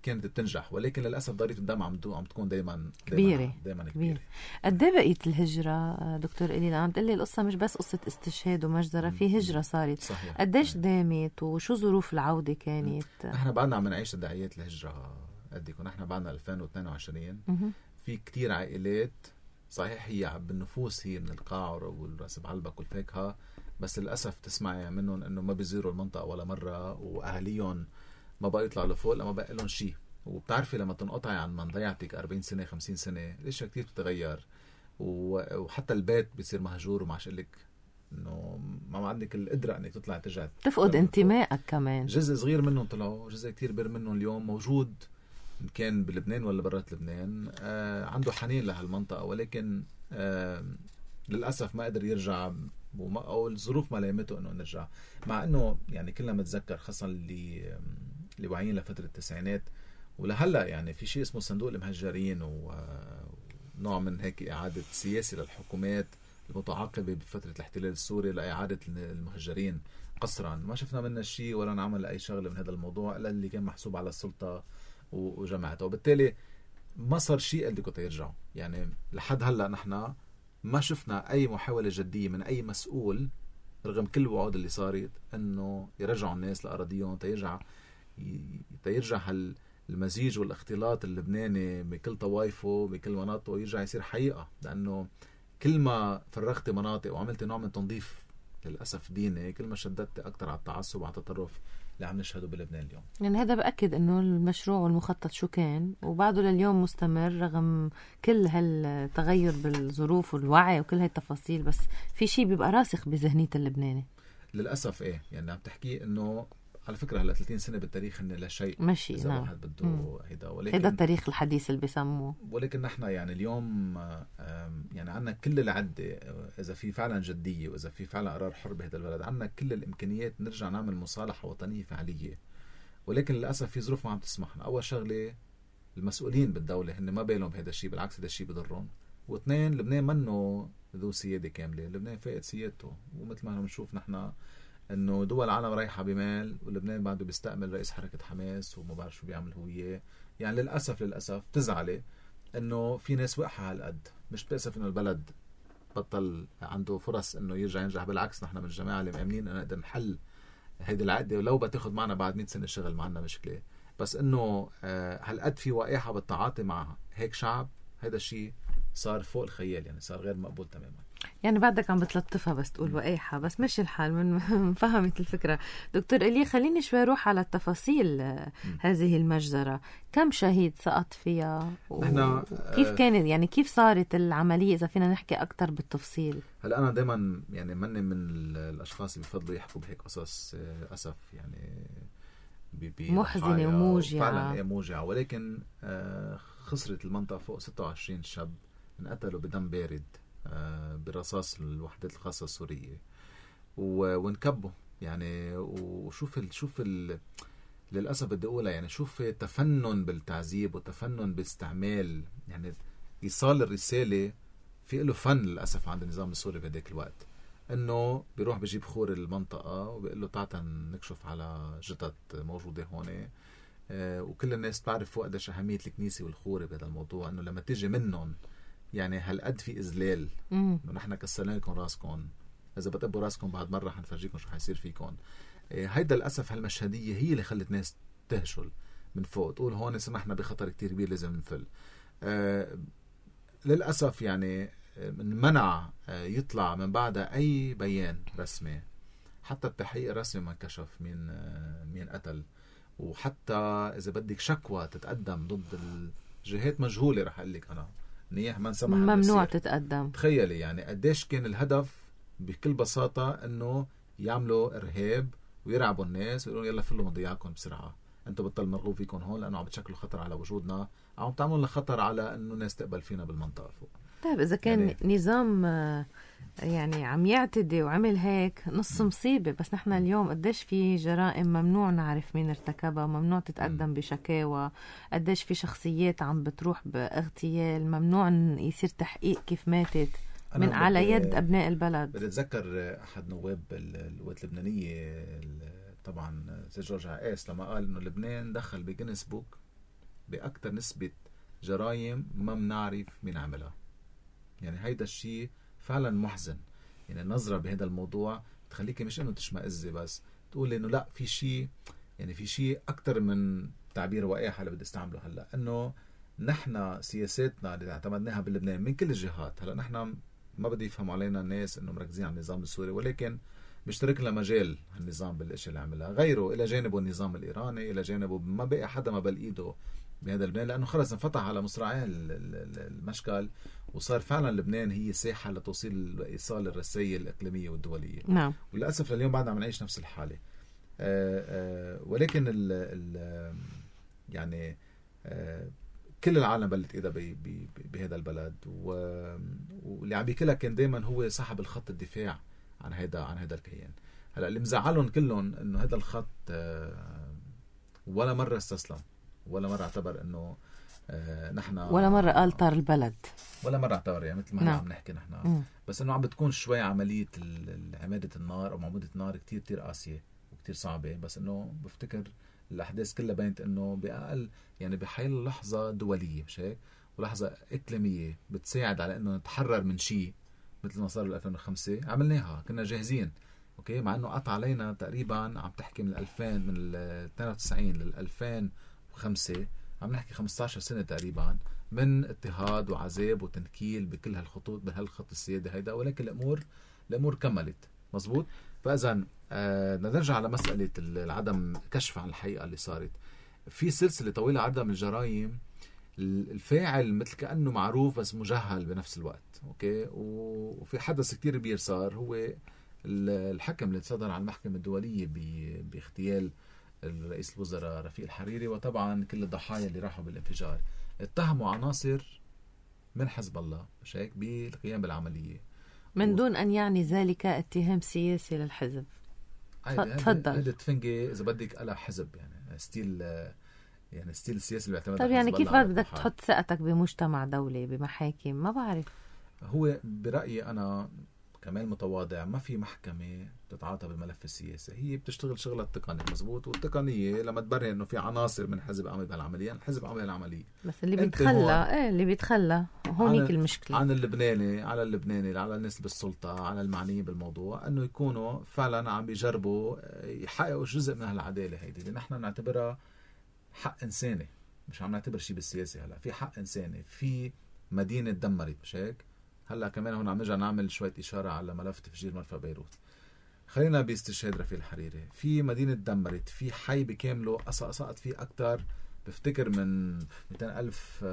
كانت بتنجح، ولكن للاسف ضريبه الدم عم تكون دائما كبيره. قد ايه بقيت الهجره دكتور إلي؟ عم تقول لي القصه مش بس قصه استشهاد ومجزره، في هجره صارت. قديش دامت وشو ظروف العوده كانت؟ احنا بعدنا عم نعيش تداعيات الهجره قديكم. نحن بعدنا 2022 في كتير عائلات صحيح هي بالنفوس هي من القاع والراس بعلبك والفاكهه، بس للاسف تسمعي منهم انه ما بيزوروا المنطقه ولا مره، واهاليهم ما بقى يطلعوا لفوق لما بقى لهم شيء. وبتعرفي لما تنقطعي عن من ضيعتك 40 سنه 50 سنه الاشياء كتير بتتغير، وحتى البيت بيصير مهجور وما عادش لك انه ما عندك القدره انك تطلع ترجع تفقد انتمائك كمان. جزء صغير منهم طلعوا، جزء كتير كبير منهم اليوم موجود إن كان بلبنان ولا برات لبنان، عنده حنين لهالمنطقة، ولكن للأسف ما قدر يرجع أو الظروف ما لامته إنه نرجع. مع إنه يعني كلنا متذكر خاصة اللي واعيين لفترة التسعينات ولهلا يعني في شيء اسمه صندوق المهجرين، ونوع من هيك إعادة سياسي للحكومات المتعاقبة بفترة الاحتلال السوري لإعادة المهجرين قسرا. ما شفنا منها شيء ولا نعمل أي شغلة من هذا الموضوع إلا اللي كان محسوب على السلطة وجماعته، وبالتالي ما صار شيء قد كنت يرجعوا. يعني لحد هلأ نحن ما شفنا أي محاولة جدية من أي مسؤول رغم كل الوعود اللي صارت أنه يرجعوا الناس لأراضيهم، تيرجع المزيج والاختلاط اللبناني بكل طوائفه بكل مناطقه يرجع يصير حقيقة. لأنه كل ما فرغت مناطق وعملت نوع من تنظيف للأسف ديني، كل ما شددت أكتر على التعصب وعلى التطرف اللي عم نشهده بلبنان اليوم. يعني هذا بأكد أنه المشروع والمخطط شو كان وبعده لليوم مستمر رغم كل هالتغير بالظروف والوعي وكل هالتفاصيل، بس في شيء بيبقى راسخ بذهنية اللبناني للأسف. إيه يعني عم تحكي أنه على فكرة هلا 30 سنة بالتاريخ إن لا شيء ماشي. إذا نعم. واحد بده هيدا، ولكن هيدا التاريخ الحديث اللي بيسموه. ولكن نحن يعني اليوم يعني عنا كل العدة، إذا في فعلا جدية وإذا في فعلا قرار حر بهذا البلد، عنا كل الإمكانيات نرجع نعمل مصالحة وطنية فعلية. ولكن للأسف في ظروف ما عم تسمحنا. أول شغلة المسؤولين بالدولة هن ما بالهم بهذا الشيء، بالعكس هذا الشيء بضرهم. واثنين لبنان منه ذو سيادة كاملة، لبنان فاقد سيادته. ومثل ما بنشوف نحن انه دول العالم رايحه بمال ولبنان بعده بيستقبل رئيس حركه حماس وما بعرف شو بيعمل هو اياه. يعني للاسف تزعلي انه في ناس وقحه هالقد. مش بتاسف انه البلد بطل عنده فرص انه يرجع ينجح، بالعكس نحن من الجماعه اللي مؤمنين انه نقدر نحل هيدي العقده ولو بتاخذ معنا بعد 100 سنه شغل، ما عندنا مشكله. بس انه هالقد في وقاحه بالتعاطي مع هيك شعب، هذا الشيء صار فوق الخيال، يعني صار غير مقبول تماما. يعني بعدك عم بتلطفها بس تقول وقايحة، بس ماشي الحال من فهمت الفكرة. دكتور إيليا خليني شوي روح على التفاصيل هذه المجزرة. كم شهيد سقط فيها كيف كانت، يعني كيف صارت العملية إذا فينا نحكي أكتر بالتفصيل؟ هلا أنا دايما يعني مني من الأشخاص اللي بفضلوا يحكوا بهيك قصص أسف يعني محزنة وموجعة، فعلا هي موجعة. ولكن خسرت المنطقة فوق 26 شاب انقتلوا بدم بارد برصاص الوحدات الخاصة السورية ونكبوا. يعني وشوف للأسف بدي أقولها، يعني شوف تفنن بالتعذيب وتفنن باستعمال، يعني إيصال الرسالة في له فن للأسف عند النظام السوري بهداك الوقت. إنه بيروح بيجيب خور المنطقة وبيقول له تعال نكشف على جثث موجودة هون. وكل الناس تعرف قديش أهمية الكنيسة والخورة بهذا الموضوع، إنه لما تيجي منهم يعني هالقد في إذلال، إنه نحن كسرنا لكم راسكم، إذا بتقبوا راسكم بعد مرة حنفرجيكم شو حيصير فيكم. هيدا للأسف هالمشهدية هي اللي خلت ناس تهشل من فوق، تقول هون سمحنا بخطر كتير كبير لازم نفل. للأسف يعني منع يطلع من بعدها أي بيان رسمي، حتى التحقيق الرسمي ما كشف مين قتل، وحتى إذا بدك شكوى تتقدم ضد الجهات مجهولة رح أقول لك أنا نيح ما نسمح ممنوع تتقدم. تخيلي يعني قديش كان الهدف بكل بساطة إنه يعملوا إرهاب ويرعبوا الناس ويقولون يلا فلوا مضيعكم بسرعة، أنتوا بطل مرغوب فيكم هون لأنه عم بتشكلوا خطر على وجودنا، عم تعملوا لنا خطر على إنه الناس تقبل فينا بالمنطقة فوق. طيب إذا كان يعني نظام يعني عم يعتدي وعمل هيك نص مصيبة، بس نحن اليوم قديش في جرائم ممنوع نعرف مين ارتكبها، ممنوع تتقدم بشكاوى، قديش في شخصيات عم بتروح باغتيال، ممنوع يصير تحقيق كيف ماتت من على يد أبناء البلد. بدي أتذكر أحد نواب القوات اللبنانية طبعا سيد جورج عقاس لما قال إنه لبنان دخل بجينيس بوك بأكتر نسبة جرائم ما بنعرف مين عملها. يعني هيدا الشيء فعلا محزن. يعني النظرة بهذا الموضوع تخليكي مش انه تشمئزي، بس تقول انه لا في شيء، يعني في شيء اكتر من تعبير وقاحة اللي بدي استعمله هلا، انه نحن سياساتنا اللي اعتمدناها بلبنان من كل الجهات. هلا نحن ما بدي يفهموا علينا الناس انه مركزين على النظام السوري، ولكن مشترك لنا مجال النظام بالاشياء اللي عملها، غيره الى جانبه النظام الايراني، الى جانبه ما بقى حدا ما بل ايده بهذا لبنان، لأنه خلص انفتح على مصراعيه المشكل، وصار فعلا لبنان هي ساحة لتوصيل إيصال الرسائل الإقليمية والدولية. نعم. وللأسف لليوم بعدنا عم نعيش نفس الحالة. ولكن يعني كل العالم بلت إيدها بهذا البلد، واللي عم بيكلها كان دايما هو صاحب الخط الدفاع عن هذا الكيان. هلا اللي مزعلهم كلهم انه هذا الخط ولا مرة استسلم، ولا مرة اعتبر انه نحن، ولا مرة قال طار البلد، ولا مرة اعتبر يعني مثل ما نعم. عم نحكي نحن. بس انه عم بتكون شوي عملية عمادة النار او معمودة النار كتير قاسية وكتير صعبة. بس انه بفتكر الأحداث كلها بينت إنه بأقل يعني بحيل لحظة دولية مش هيك، ولحظة إقليمية بتساعد على إنه نتحرر من شيء مثل ما صار 2005 عملناها، كنا جاهزين. أوكي، مع إنه قطع علينا تقريبا عم تحكي من 2000 من 92 لل 2005 عم نحكي 15 سنة تقريبا من اضطهاد وعذاب وتنكيل بكل هالخطوط بهالخط السيادي هيدا، ولكن الأمور كملت مزبوط. فإذا بدنا نرجع على مسألة العدم كشف عن الحقيقة اللي صارت في سلسلة طويلة عرضها من الجرائم. الفاعل مثل كأنه معروف بس مجهل بنفس الوقت. أوكي، وفي حدث كتير كبير صار، هو الحكم اللي صدر على المحكمة الدولية باغتيال الرئيس الوزراء رفيق الحريري، وطبعا كل الضحايا اللي راحوا بالانفجار اتهموا عناصر من حزب الله مش هيك بالقيام بالعملية من دون أن يعني ذلك اتهام سياسي للحزب. تفضل. هذا تفنجي إذا بدك على حزب يعني ستيل السياسي اللي بيعتمد. طيب يعني كيف بدك تحط ثقتك بمجتمع دولي بمحاكم؟ ما بعرف. هو برأيي أنا كمال متواضع ما في محكمة بتتعاطى بالملف السياسي، هي بتشتغل شغلة التقنية مزبوط، والتقنية لما تبرهن إنه في عناصر من حزب عمل بهالعملية، الحزب عمل العملية. بس اللي بيتخلى هونيك المشكلة عن اللبناني على الناس بالسلطة على المعنيين بالموضوع أنه يكونوا فعلا عم بيجربوا يحققوا جزء من هالعدالة هيدي اللي نحن نعتبرها حق إنساني، مش عم نعتبر شيء بالسياسة. هلا في حق إنساني، في مدينة دمرت مش هيك. هلا كمان هون عم نرجع نعمل شوية إشارة على ملف تفجير مرفأ بيروت. خلينا باستشهاد رفيق الحريري، في مدينة دمرت، في حي بكامله سقط فيه أكتر بفتكر من 200,000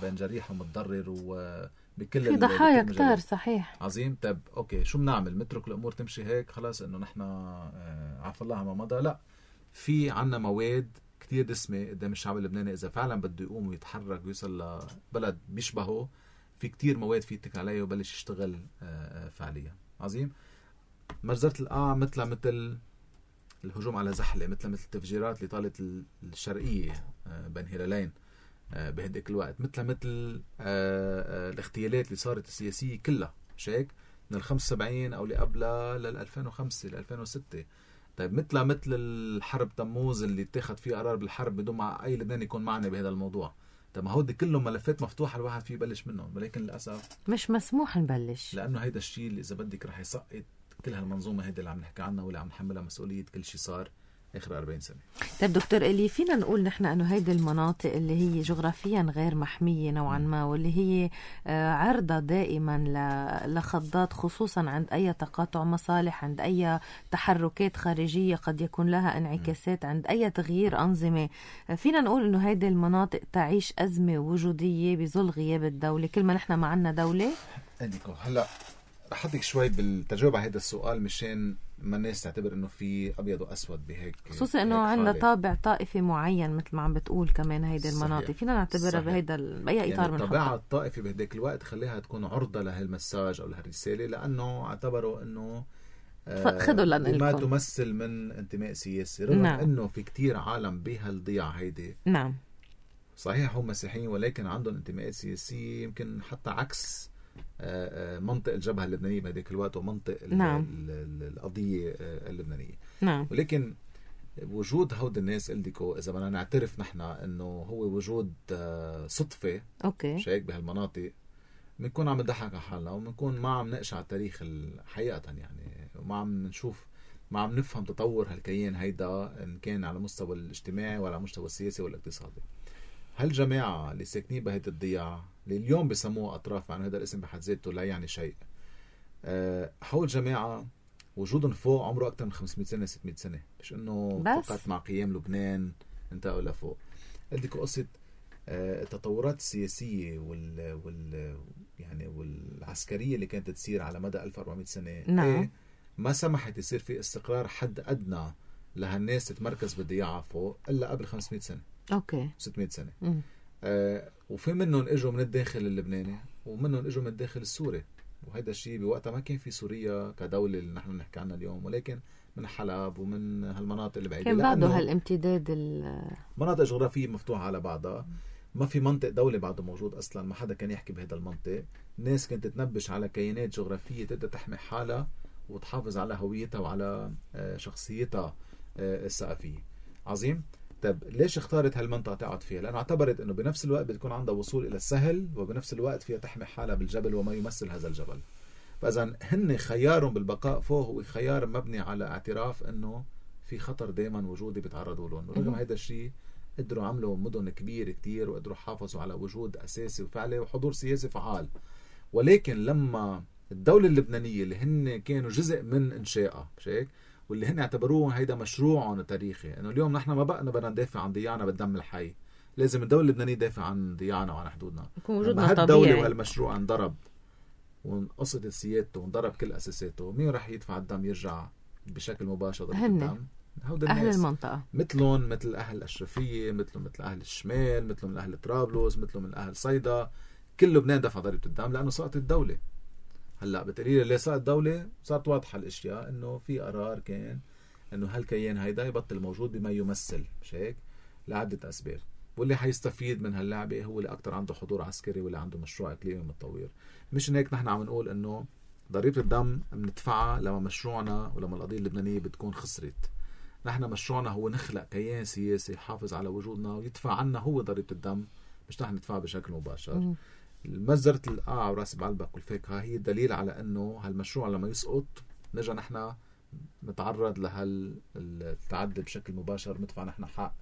بين جريح ومتضرر، وبكل في ضحايا كتار. صحيح عظيم. طب أوكي، شو بنعمل؟ نترك الأمور تمشي هيك خلاص إنه نحن عفى الله ما مضى؟ لا، في عنا مواد كتير دسمة قدام الشعب اللبناني إذا فعلا بده يقوم ويتحرك ويوصل لبلد بيشبهه. في كتير مواد في يتك عليه وبلش يشتغل فعليا. عظيم. مجزرة القاع مثل الهجوم على زحلة، مثل التفجيرات اللي طالت الشرقية بين هلالين بهديك الوقت، مثل الاغتيالات اللي صارت السياسية كلها مش هيك من 75 أو اللي قبلها 2005 2006. طيب مثل الحرب تموز اللي اتخذ فيه قرار بالحرب بدون ما أي لبناني يكون معنا بهذا الموضوع. طب ما هودي كلهم ملفات مفتوحة الواحد فيه يبلش منهم، ولكن للأسف مش مسموح نبلش، لأنه هيدا الشيء اللي إذا بدك رح يسقط كل هالمنظومة هيدا اللي عم نحكي عنها واللي عم نحملها مسؤولية كل شيء صار آخر 40 سنة. طيب دكتور إلي، فينا نقول نحن أنه هيدي المناطق اللي هي جغرافيا غير محمية نوعا ما، واللي هي عرضة دائما لخضات، خصوصا عند أي تقاطع مصالح، عند أي تحركات خارجية قد يكون لها انعكاسات، عند أي تغيير أنظمة، فينا نقول أنه هيدي المناطق تعيش أزمة وجودية بظل غياب الدولة كل ما نحن معنا دولة؟ هلأ رح أحطك شوي بالتجربة هيدا السؤال مشان ما الناس تعتبر انه في ابيض واسود بهيك، خصوصا انه عندنا طابع طائفي معين مثل ما عم بتقول. كمان هيدي المناطق فينا نعتبرها بهيدا باي اطار من الطابع الطائفي بهداك الوقت خليها تكون عرضة لهالمساج او لهالرسالة، لانه اعتبروا انه خذوا لنا ما تمثل من انتماء سياسي، رغم انه في كتير عالم بهالضيعة هيدي صحيح هم مسيحيين ولكن عندهم انتماءات سياسية يمكن حتى عكس منطق الجبهة اللبنانية بهذاك الوقت ومنطق القضية اللبنانية. ولكن وجود هود الناس قلدكو إذا بدنا نعترف نحن إنه هو وجود صدفة مش هيك بهالمناطق، بنكون عم نضحك على حالنا وبنكون ما عم نقشع التاريخ حقيقة يعني، وما عم نشوف ما عم نفهم تطور هالكيان هيدا إن كان على مستوى الاجتماعي ولا على مستوى السياسي والاقتصادي. هالجماعة اللي ساكنين بهيدا الضياع اللي اليوم بيسموه أطراف، مع هذا الاسم بحد ذاته لا يعني شيء، هول الجماعة وجودهم فوق عمره أكثر من 500 سنة 600 سنة، مش إنه فقط مع قيام لبنان انتقلوا لفوق. بدك قصة التطورات السياسية يعني والعسكرية اللي كانت تصير على مدى 1400 سنة. نعم. ما سمحت يصير في استقرار حد أدنى لهالناس تتمركز بالضياعة فوق إلا قبل 500 سنة. أوكي. 600 سنة. وفي منهم اجوا من الداخل اللبناني ومنهم اجوا من الداخل السوري، وهذا الشيء بوقتها ما كان في سوريا كدولة اللي نحن نحكي عنها اليوم، ولكن من حلب ومن هالمناطق اللي بعيدة كان بعده هالامتداد مناطق جغرافية مفتوحة على بعضها. ما في منطق دولة بعده موجود أصلا، ما حدا كان يحكي بهذا المنطق. الناس كانت تتنبش على كيانات جغرافية تقدر تحمي حالها وتحافظ على هويتها وعلى شخصيتها الثقافية. عظيم. طب ليش اختارت هالمنطقة تقعد فيها؟ لأنه اعتبرت أنه بنفس الوقت بتكون عندها وصول إلى السهل، وبنفس الوقت فيها تحمي حالها بالجبل وما يمثل هذا الجبل. فإذا هن خيارهم بالبقاء فوق هو خيار مبني على اعتراف أنه في خطر دائما وجودي بيتعرضوا له. رغم هذا الشيء قدروا عملوا مدن كبيرة كتير وقدروا حافظوا على وجود أساسي وفعلي وحضور سياسي فعال. ولكن لما الدولة اللبنانية اللي هن كانوا جزء من إنشائها هيك، واللي هن اعتبروه هيدا مشروعهم التاريخي، انه اليوم نحن ما بقى بدنا ندافع عن ضياعنا بالدم الحي، لازم الدولة اللبنانية تدافع عن ضياعنا وعن حدودنا. لما هالدولة وهالمشروع انضرب وانقصت سيادته وانضرب كل اساساته، مين راح يدفع الدم يرجع بشكل مباشر الدم؟ أهل المنطقة، مثلهم مثل أهل الأشرفية، مثلهم مثل أهل الشمال، مثلهم من أهل طرابلس، مثلهم من أهل صيدا. كل لبنان دفع ضريبة الدم لأنه سقطت الدولة. هلا بتقولي ليه سقطت الدولة؟ صارت واضحة الأشياء إنه في قرار كان إنه هالكيان هيدا يبطل موجود بما يمثل، مش هيك؟ لعدة أسباب. واللي حيستفيد من هاللعبة هو اللي أكتر عنده حضور عسكري واللي عنده مشروع إقليمي متطور. مش هيك نحن عم نقول إنه ضريبة الدم بندفعها لما مشروعنا ولما القضية اللبنانية بتكون خسرت. نحن مشروعنا هو نخلق كيان سياسي يحافظ على وجودنا ويدفع عنا هو ضريبة الدم، مش نحن ندفعها بشكل مباشر. مجزرة القاع وراس بعلبك والفاكهة هي دليل على انه هالمشروع لما يسقط نجا نحن نتعرض لهالتعدي بشكل مباشر، ندفع نحن حق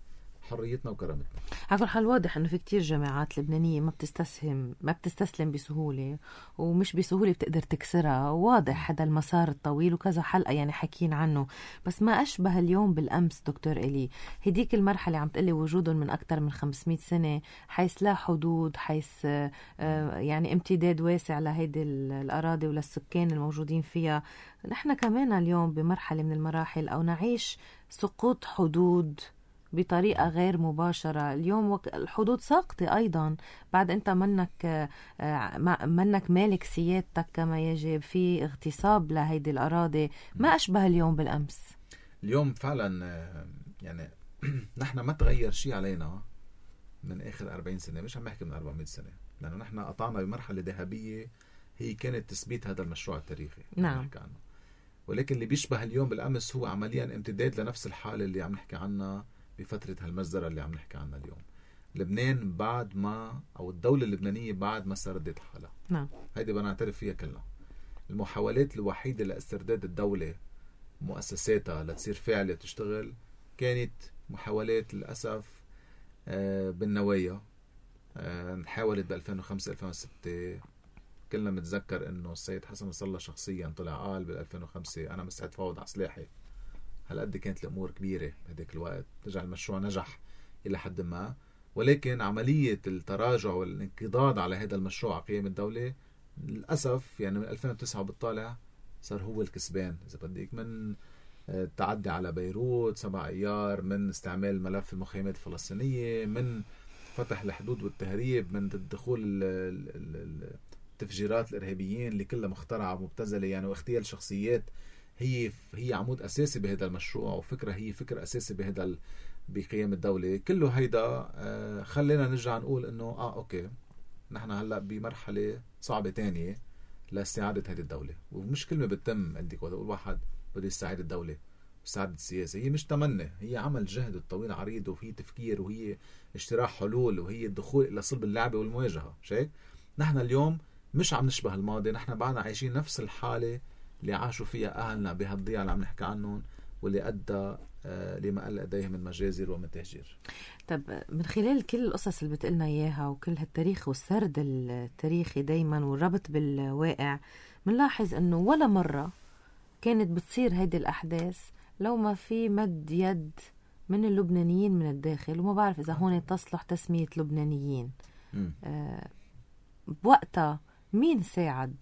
حريتنا وكرامتنا. على كل حال واضح انه في كتير جامعات لبنانية ما بتستسلم بسهولة، ومش بسهولة بتقدر تكسرها. واضح هذا المسار الطويل وكذا حلقة يعني حكين عنه. بس ما أشبه اليوم بالأمس دكتور إلي. هديك المرحلة عم تقلي وجودهم من أكتر من 500 سنة، حيث لا حدود، حيث يعني امتداد واسع لهيدي الأراضي وللسكان الموجودين فيها. نحن كمان اليوم بمرحلة من المراحل أو نعيش سقوط حدود بطريقة غير مباشرة. اليوم الحدود ساقطة أيضا، بعد أنت منك مالك سيادتك كما يجب، في اغتصاب لهيدي الأراضي. ما أشبه اليوم بالأمس. اليوم فعلا يعني نحن ما تغير شيء علينا من آخر 40 سنة، مش عم نحكي من 400 سنة، لأنه نحن قطعنا بمرحلة ذهبية هي كانت تثبيت هذا المشروع التاريخي. نعم. ولكن اللي بيشبه اليوم بالأمس هو عمليا امتداد لنفس الحالة اللي عم نحكي عنها بفترة هالمجزرة اللي عم نحكي عنها اليوم. لبنان بعد ما، أو الدولة اللبنانية بعد ما استردت حالها. نعم. هيدي بنعترف فيها كلنا. المحاولات الوحيدة لاسترداد الدولة مؤسساتها لتصير فعلة تشتغل كانت محاولات للأسف بالنوايا. حاولت ب2005-2006. كلنا متذكر انه السيد حسن نصر الله شخصيا طلع قال بال2005 انا مستعد فاوض على سلاحي. هالقد كانت الامور كبيره بهداك الوقت. رجع المشروع نجح الى حد ما، ولكن عمليه التراجع والانقضاض على هذا المشروع قيام الدوله للاسف يعني من 2009 بالطالع صار هو الكسبان اذا بدك، من التعدي على بيروت 7 ايار، من استعمال ملف المخيمات الفلسطينيه، من فتح الحدود والتهريب، من الدخول التفجيرات الارهابيين اللي كلها مخترعه ومبتذله يعني، واغتيال شخصيات هي عمود اساسي بهذا المشروع، وفكره هي فكر اساسي بقيام الدوله. كله هيدا خلينا نرجع نقول انه اوكي نحن هلا بمرحله صعبه تانية لاستعاده هذه الدوله. ومش كلمه بتتم عندك ولا اقول واحد بده يستعيد الدوله استعادة السياسة، هي مش تمنى، هي عمل جهد طويل عريض، وهي تفكير، وهي اجتراح حلول، وهي الدخول الى صلب اللعبه والمواجهه. شايف نحن اليوم مش عم نشبه الماضي، نحن بعدنا عايشين نفس الحالة اللي عاشوا فيها أهلنا بهالضيعة اللي عم نحكي عنهم، واللي أدى لما قل لديه من مجازر ومن تهجير. طب من خلال كل القصص اللي بتقلنا إياها وكل هالتاريخ والسرد التاريخي دايما والربط بالواقع، منلاحظ أنه ولا مرة كانت بتصير هيدي الأحداث لو ما في مد يد من اللبنانيين من الداخل، وما بعرف إذا هون تصلح تسمية لبنانيين. بوقتها مين ساعد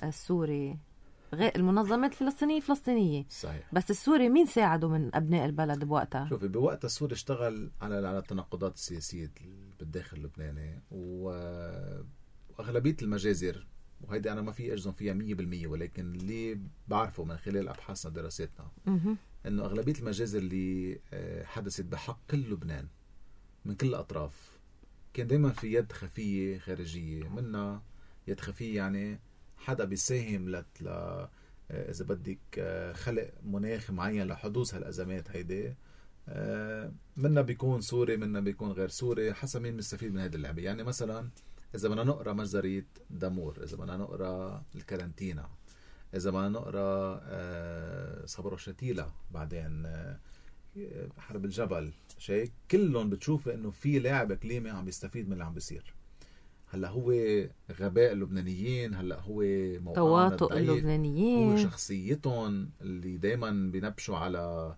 السوري؟ غير المنظمات الفلسطينية صحيح. بس السوري مين ساعده من أبناء البلد بوقتها؟ شوفي، بوقتها السوري اشتغل على التناقضات السياسية بالداخل اللبناني، وأغلبية المجازر، وهيدي أنا ما في أجزم فيها 100%، ولكن اللي بعرفه من خلال أبحاثنا ودراساتنا إنه أغلبية المجازر اللي حدثت بحق كل لبنان من كل الأطراف كان دايما في يد خفية خارجية. منها يد خفية يعني حدا بيساهم إذا بدك خلق مناخ معين لحدوث هالأزمات هيدي. منا بيكون سوري، منا بيكون غير سوري، حسب مين مستفيد من هذه اللعبة. يعني مثلا إذا بدنا نقرأ مجزرة دامور، إذا بدنا نقرأ الكارنتينا، إذا بدنا نقرأ صبر شتيلة، بعدين حرب الجبل، شيء كلهم بتشوف إنه في لاعب إقليمي عم بيستفيد من اللي عم بيصير. هلا هو غباء اللبنانيين، هلا هو تواطؤ اللبنانيين، هو شخصيتهم اللي دايما بينبشوا على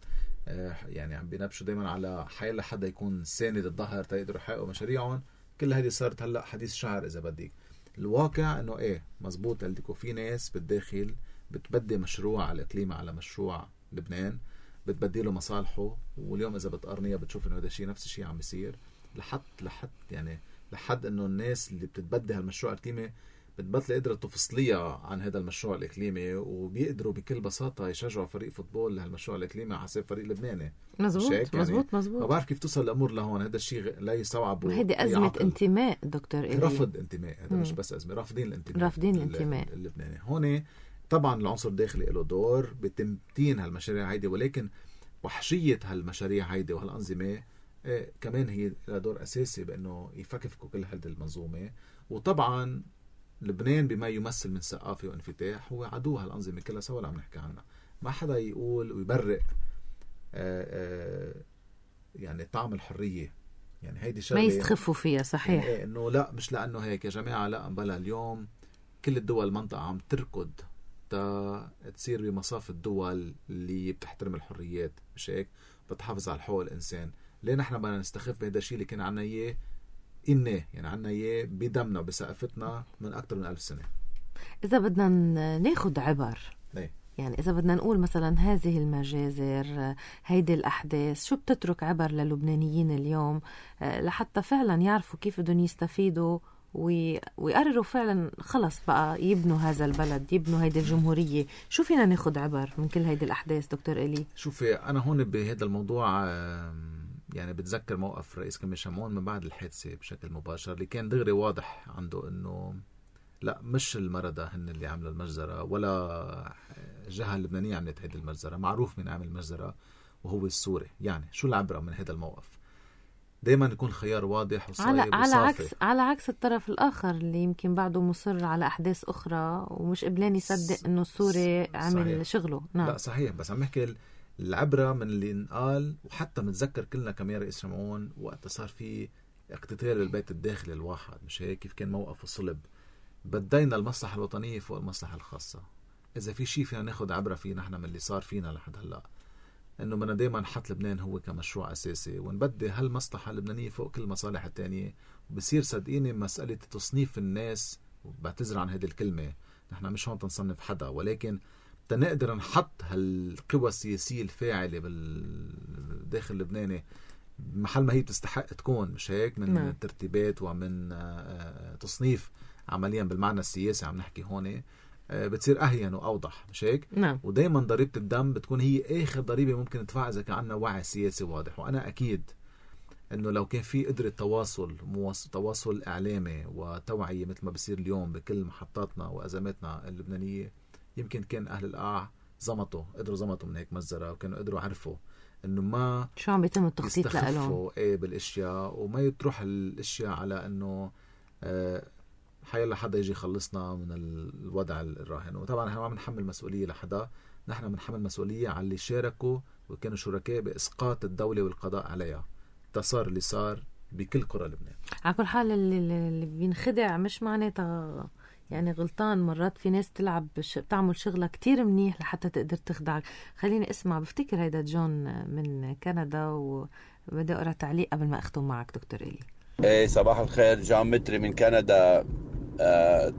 يعني عم بينبشوا دايما على حيلا حدا يكون ساند الظهر تيقدروا يحققوا مشاريعهم. كل هذه صارت هلا حديث شعر إذا بدك. الواقع إنه إيه مزبوط، قلتلكوا في ناس بالداخل بتبدي مشروع على الإقليم على مشروع لبنان، بتبديله مصالحه. واليوم إذا بتقارنيها بتشوف إنه هذا الشيء نفس الشيء عم بيصير لحد إنه الناس اللي بتتبدي هالمشروع الإقليمي بتبطل قدرة تفصليها عن هذا المشروع الإقليمي، وبيقدروا بكل بساطة يشجعوا فريق فوتبول لهالمشروع الإقليمي على حساب فريق لبناني. مزبوط. ما بعرف كيف توصل الأمور لهون. هذا الشيء لا يستوعب. هيدي أزمة انتماء دكتور إلي. رفض انتماء، هذا مش بس أزمة، رافضين الانتماء اللبناني. هون طبعا العنصر الداخلي له دور بتمتين هالمشاريع هيدي، ولكن وحشية هالمشاريع هيدي وهالأنظمة كمان هي لها دور أساسي بأنه يفكفكوا كل هذه المنظومة. وطبعا لبنان بما يمثل من ثقافة وانفتاح هو عدو هالأنظمة كلها سوا اللي عم نحكي عنها. ما حدا يقول ويبرئ يعني طعم الحرية، يعني هيدي شغلة ما يستخفوا فيها. صحيح. يعني إنه لا مش لأنه هيك يا جماعة، لا بلا اليوم كل الدول المنطقة عم تركض تصير بمصاف الدول اللي بتحترم الحريات، مش هيك بتحافظ على حقوق الإنسان. ليه نحن بدنا نستخف بهذا الشيء اللي كان عنا إياه يعني عنا إياه بدمنا وبثقافتنا من أكثر من 1000 سنة. إذا بدنا ناخد عبر يعني إذا بدنا نقول مثلا هذه المجازر، هيدي الأحداث، شو بتترك عبر للبنانيين اليوم لحتى فعلا يعرفوا كيف بدهم يستفيدوا ويقرروا فعلا خلص بقى يبنوا هذا البلد، يبنوا هيدي الجمهورية؟ شو فينا ناخد عبر من كل هيدي الأحداث دكتور إلي؟ شوفي، أنا هون بهذا الموضوع يعني بتذكر موقف رئيس كمية شمعون من بعد الحادثة بشكل مباشر، اللي كان دغري واضح عنده إنه لا مش المردة هن اللي عملوا المجزرة، ولا الجهة اللبنانية عملت هيدي المجزرة. معروف من عمل المجزرة وهو السوري. يعني شو العبرة من هذا الموقف؟ دايما يكون خيار واضح وصايب وصافي، على عكس الطرف الآخر اللي يمكن بعده مصر على أحداث أخرى ومش قبلان يصدق إنه السوري عمل صحيح. شغله. نعم. لا صحيح، بس عم نحكي العبرة من اللي انقال. وحتى متذكر كلنا كمان رئيس شمعون وقت صار في اقتتال بالبيت الداخلي الواحد، مش هيك كيف كان موقف الصلب؟ بدينا المصلحة الوطنية فوق المصلحة الخاصة. إذا في شيء فينا ناخد عبرة فيه نحن من اللي صار فينا لحد هلأ، إنه بدنا دايما نحط لبنان هو كمشروع أساسي ونبدي هالمصلحة اللبنانية فوق كل المصالح التانية. وبصير صدقيني مسألة تصنيف الناس، وبعتذر عن هذه الكلمة، نحن مش هون تنصنف حدا، ولكن تنقدر نحط هالقوى السياسية الفاعلة بالداخل اللبناني محل ما هي بتستحق تكون، مش هيك؟ من ترتيبات ومن تصنيف عمليا بالمعنى السياسي عم نحكي هون، بتصير أهين وأوضح، مش هيك؟ نعم. ودايما ضريبة الدم بتكون هي آخر ضريبة ممكن ندفعها إذا كان عندنا وعي سياسي واضح. وأنا أكيد إنه لو كان في قدرة تواصل إعلامي وتوعية مثل ما بصير اليوم بكل محطاتنا وأزماتنا اللبنانية، يمكن كان أهل القاع قدروا زمطوا من هيك مجزرة، وكانوا قدروا عرفوا إنه ما شو عم بيتم التخطيط لهم بالأشياء، وما يتروح الأشياء على إنه حيلا حدا يجي يخلصنا من الوضع الراهن. وطبعا نحن ما عم نحمل مسؤولية لحدا، نحن بنحمل مسؤولية على اللي شاركوا وكانوا شركاء بإسقاط الدولة والقضاء عليها. صار اللي صار بكل قرى لبنان. على كل حال اللي بينخدع مش معناتها يعني غلطان مرات في ناس بتعمل شغلة كتير منيح لحتى تقدر تخدعك. خليني اسمع، بفتكر هيدا جون من كندا، وبدي اقرا تعليق قبل ما اختم معك دكتور إلي. ايه صباح الخير، جون متري من كندا.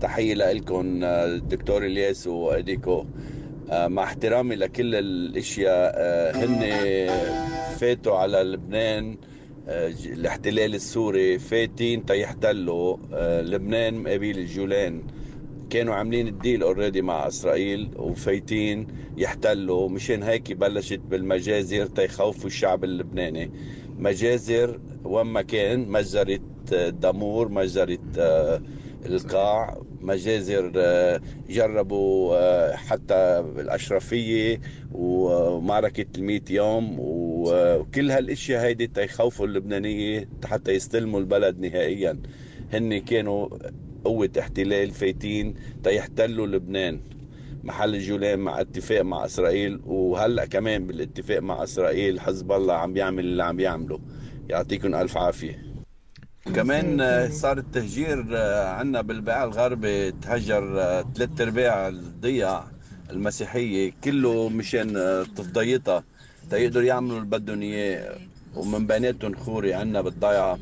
تحية لكم الدكتور إلياس وإديكو. مع احترامي لكل الاشياء، هن فاتوا على لبنان، الاحتلال السوري فاتين تيحتلوا لبنان مقابل الجولان. كانوا عاملين الديل اوريدي مع اسرائيل وفايتين يحتلوا، مشان هيك بلشت بالمجازر تيخوفوا الشعب اللبناني. مجازر وما كان مجزرة دامور، مجزرة القاع، مجازر جربوا حتى الأشرفية ومعركة 100 يوم، وكل هالاشياء هيدي تيخوفوا اللبنانية حتى يستلموا البلد نهائيا. هن كانوا قوة احتلال فايتين تيحتلوا لبنان محل الجولان مع اتفاق مع إسرائيل، وهلأ كمان بالاتفاق مع إسرائيل حزب الله عم بيعمل اللي عم بيعمله. يعطيكم ألف عافية. كمان صار التهجير عنا بالبقاع الغربي، تهجر 3/4 الضياع المسيحية كله مشان تفضيطها تيقدروا يعملوا اللي بدهم اياه، ومن بيناتهم خوري عنا بالضيعة.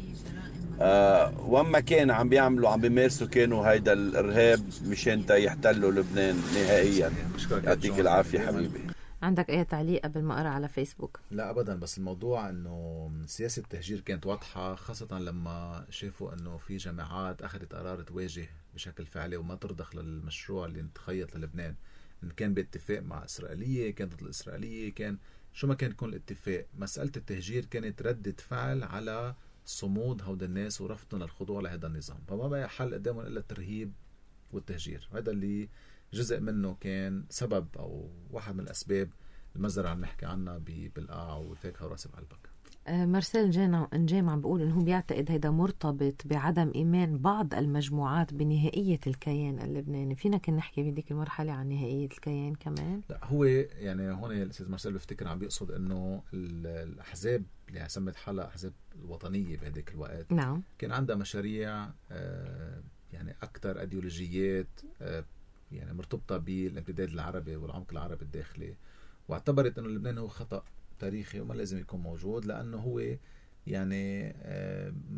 وما كان عم بيعملوا عم بيمارسوا كانوا هيدا الإرهاب مشان يحتلوا لبنان نهائيا. يعطيك العافية حبيبي. عندك اي تعليق قبل ما اقرا على فيسبوك؟ لا ابدا، بس الموضوع انه سياسه التهجير كانت واضحه، خاصه لما شافوا انه في جامعات اخذت قرار تواجه بشكل فعلي وما ترضخ للمشروع اللي انتخيط للبنان، ان كان باتفاق مع اسرائيليه، كانت ضد الاسرائيليه، كان شو ما كان يكون الاتفاق. مساله التهجير كانت ردة فعل على صمود هود الناس ورفضهم للخضوع لهذا النظام، فما بقى حل قدامهم الا الترهيب والتهجير. وهذا اللي جزء منه كان سبب او واحد من الاسباب المزرعة اللي نحكي عنها بالقاع والفاكهة وراسب قلبك. مارسيل نجيم عم بيقول انه بيعتقد هيدا مرتبط بعدم ايمان بعض المجموعات بنهائية الكيان اللبناني. فينا كنا نحكي بهذيك المرحلة عن نهائية الكيان كمان؟ لا، هو يعني هون الاستاذ مارسيل بفتكر عم بيقصد انه الاحزاب اللي سمت حالها احزاب الوطنية بهذيك الوقت، نعم، كان عندها مشاريع يعني اكثر ايديولوجيات يعني مرتبطة بالامتداد العربي والعمق العربي الداخلي، واعتبرت انه لبنان هو خطأ تاريخي وما لازم يكون موجود، لانه هو يعني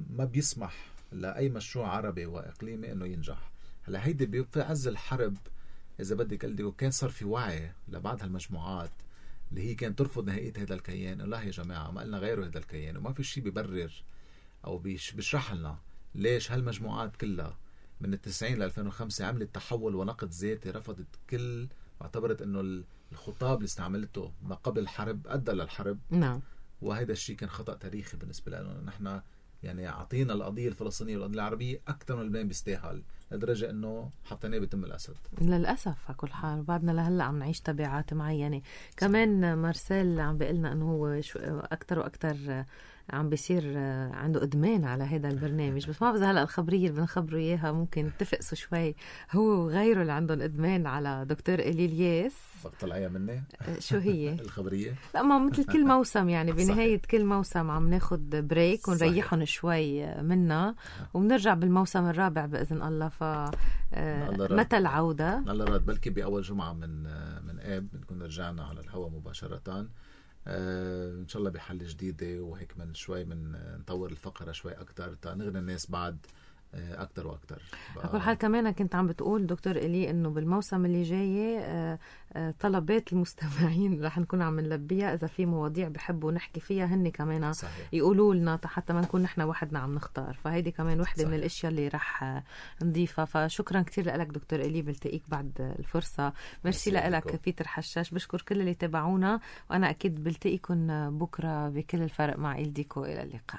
ما بيسمح لاي مشروع عربي واقليمي انه ينجح. هلا هيدي في عز الحرب اذا بدك قلدي، وكان صار في وعي لبعض هالمجموعات اللي هي كانت ترفض نهائية هذا الكيان، لا يا جماعة ما قلنا غيره هذا الكيان، وما في شيء بيبرر او بيشرح لنا ليش هالمجموعات كلها من 90 ل 2005 عملت تحول ونقد ذاتي، رفضت كل، واعتبرت انه الخطاب اللي استعملته ما قبل الحرب ادى للحرب. نعم، وهذا الشيء كان خطأ تاريخي بالنسبة لنا. نحن يعني اعطينا القضية الفلسطينية والقضية العربية اكثر من لبنان بيستاهل، لدرجة انه حطيناه بتم الاسد للاسف. على كل حال بعدنا لهلا عم نعيش تبعات معينة. كمان مارسيل عم بيقلنا انه هو اكثر واكثر عم بيصير عنده ادمان على هذا البرنامج، بس ما بعرف هلا الخبريه اللي بنخبره اياها ممكن تفقسوا شوي. هو وغيره اللي عندهم ادمان على دكتور إلي الياس. طلعيها مني شو هي الخبريه؟ لا، ما مثل كل موسم يعني بنهايه كل موسم عم ناخد بريك ونريحهم شوي منا، وبنرجع بالموسم الرابع باذن الله. ف متى العوده؟ الله راد، بلكي باول جمعه من اب بنكون رجعنا على الهواء مباشره ان شاء الله بحل جديده، وهيك من شوي من نطور الفقره شوي اكثر تنغني الناس بعد اكثر واكثر. على كل حال كمان كنت عم بتقول دكتور إلي انه بالموسم اللي جاي طلبات المستمعين رح نكون عم نلبيها، اذا في مواضيع بحبوا نحكي فيها هن كمان يقولوا لنا حتى ما نكون نحن وحدنا عم نختار. فهيدي كمان وحده من الاشياء اللي رح نضيفها. فشكرا كتير لك دكتور إلي، بلتقيك بعد الفرصه. ميرسي لك بيتر حشاش. بشكر كل اللي تابعونا، وانا اكيد بلتقيكم بكره بكل الفرق مع إلديكو. الى اللقاء.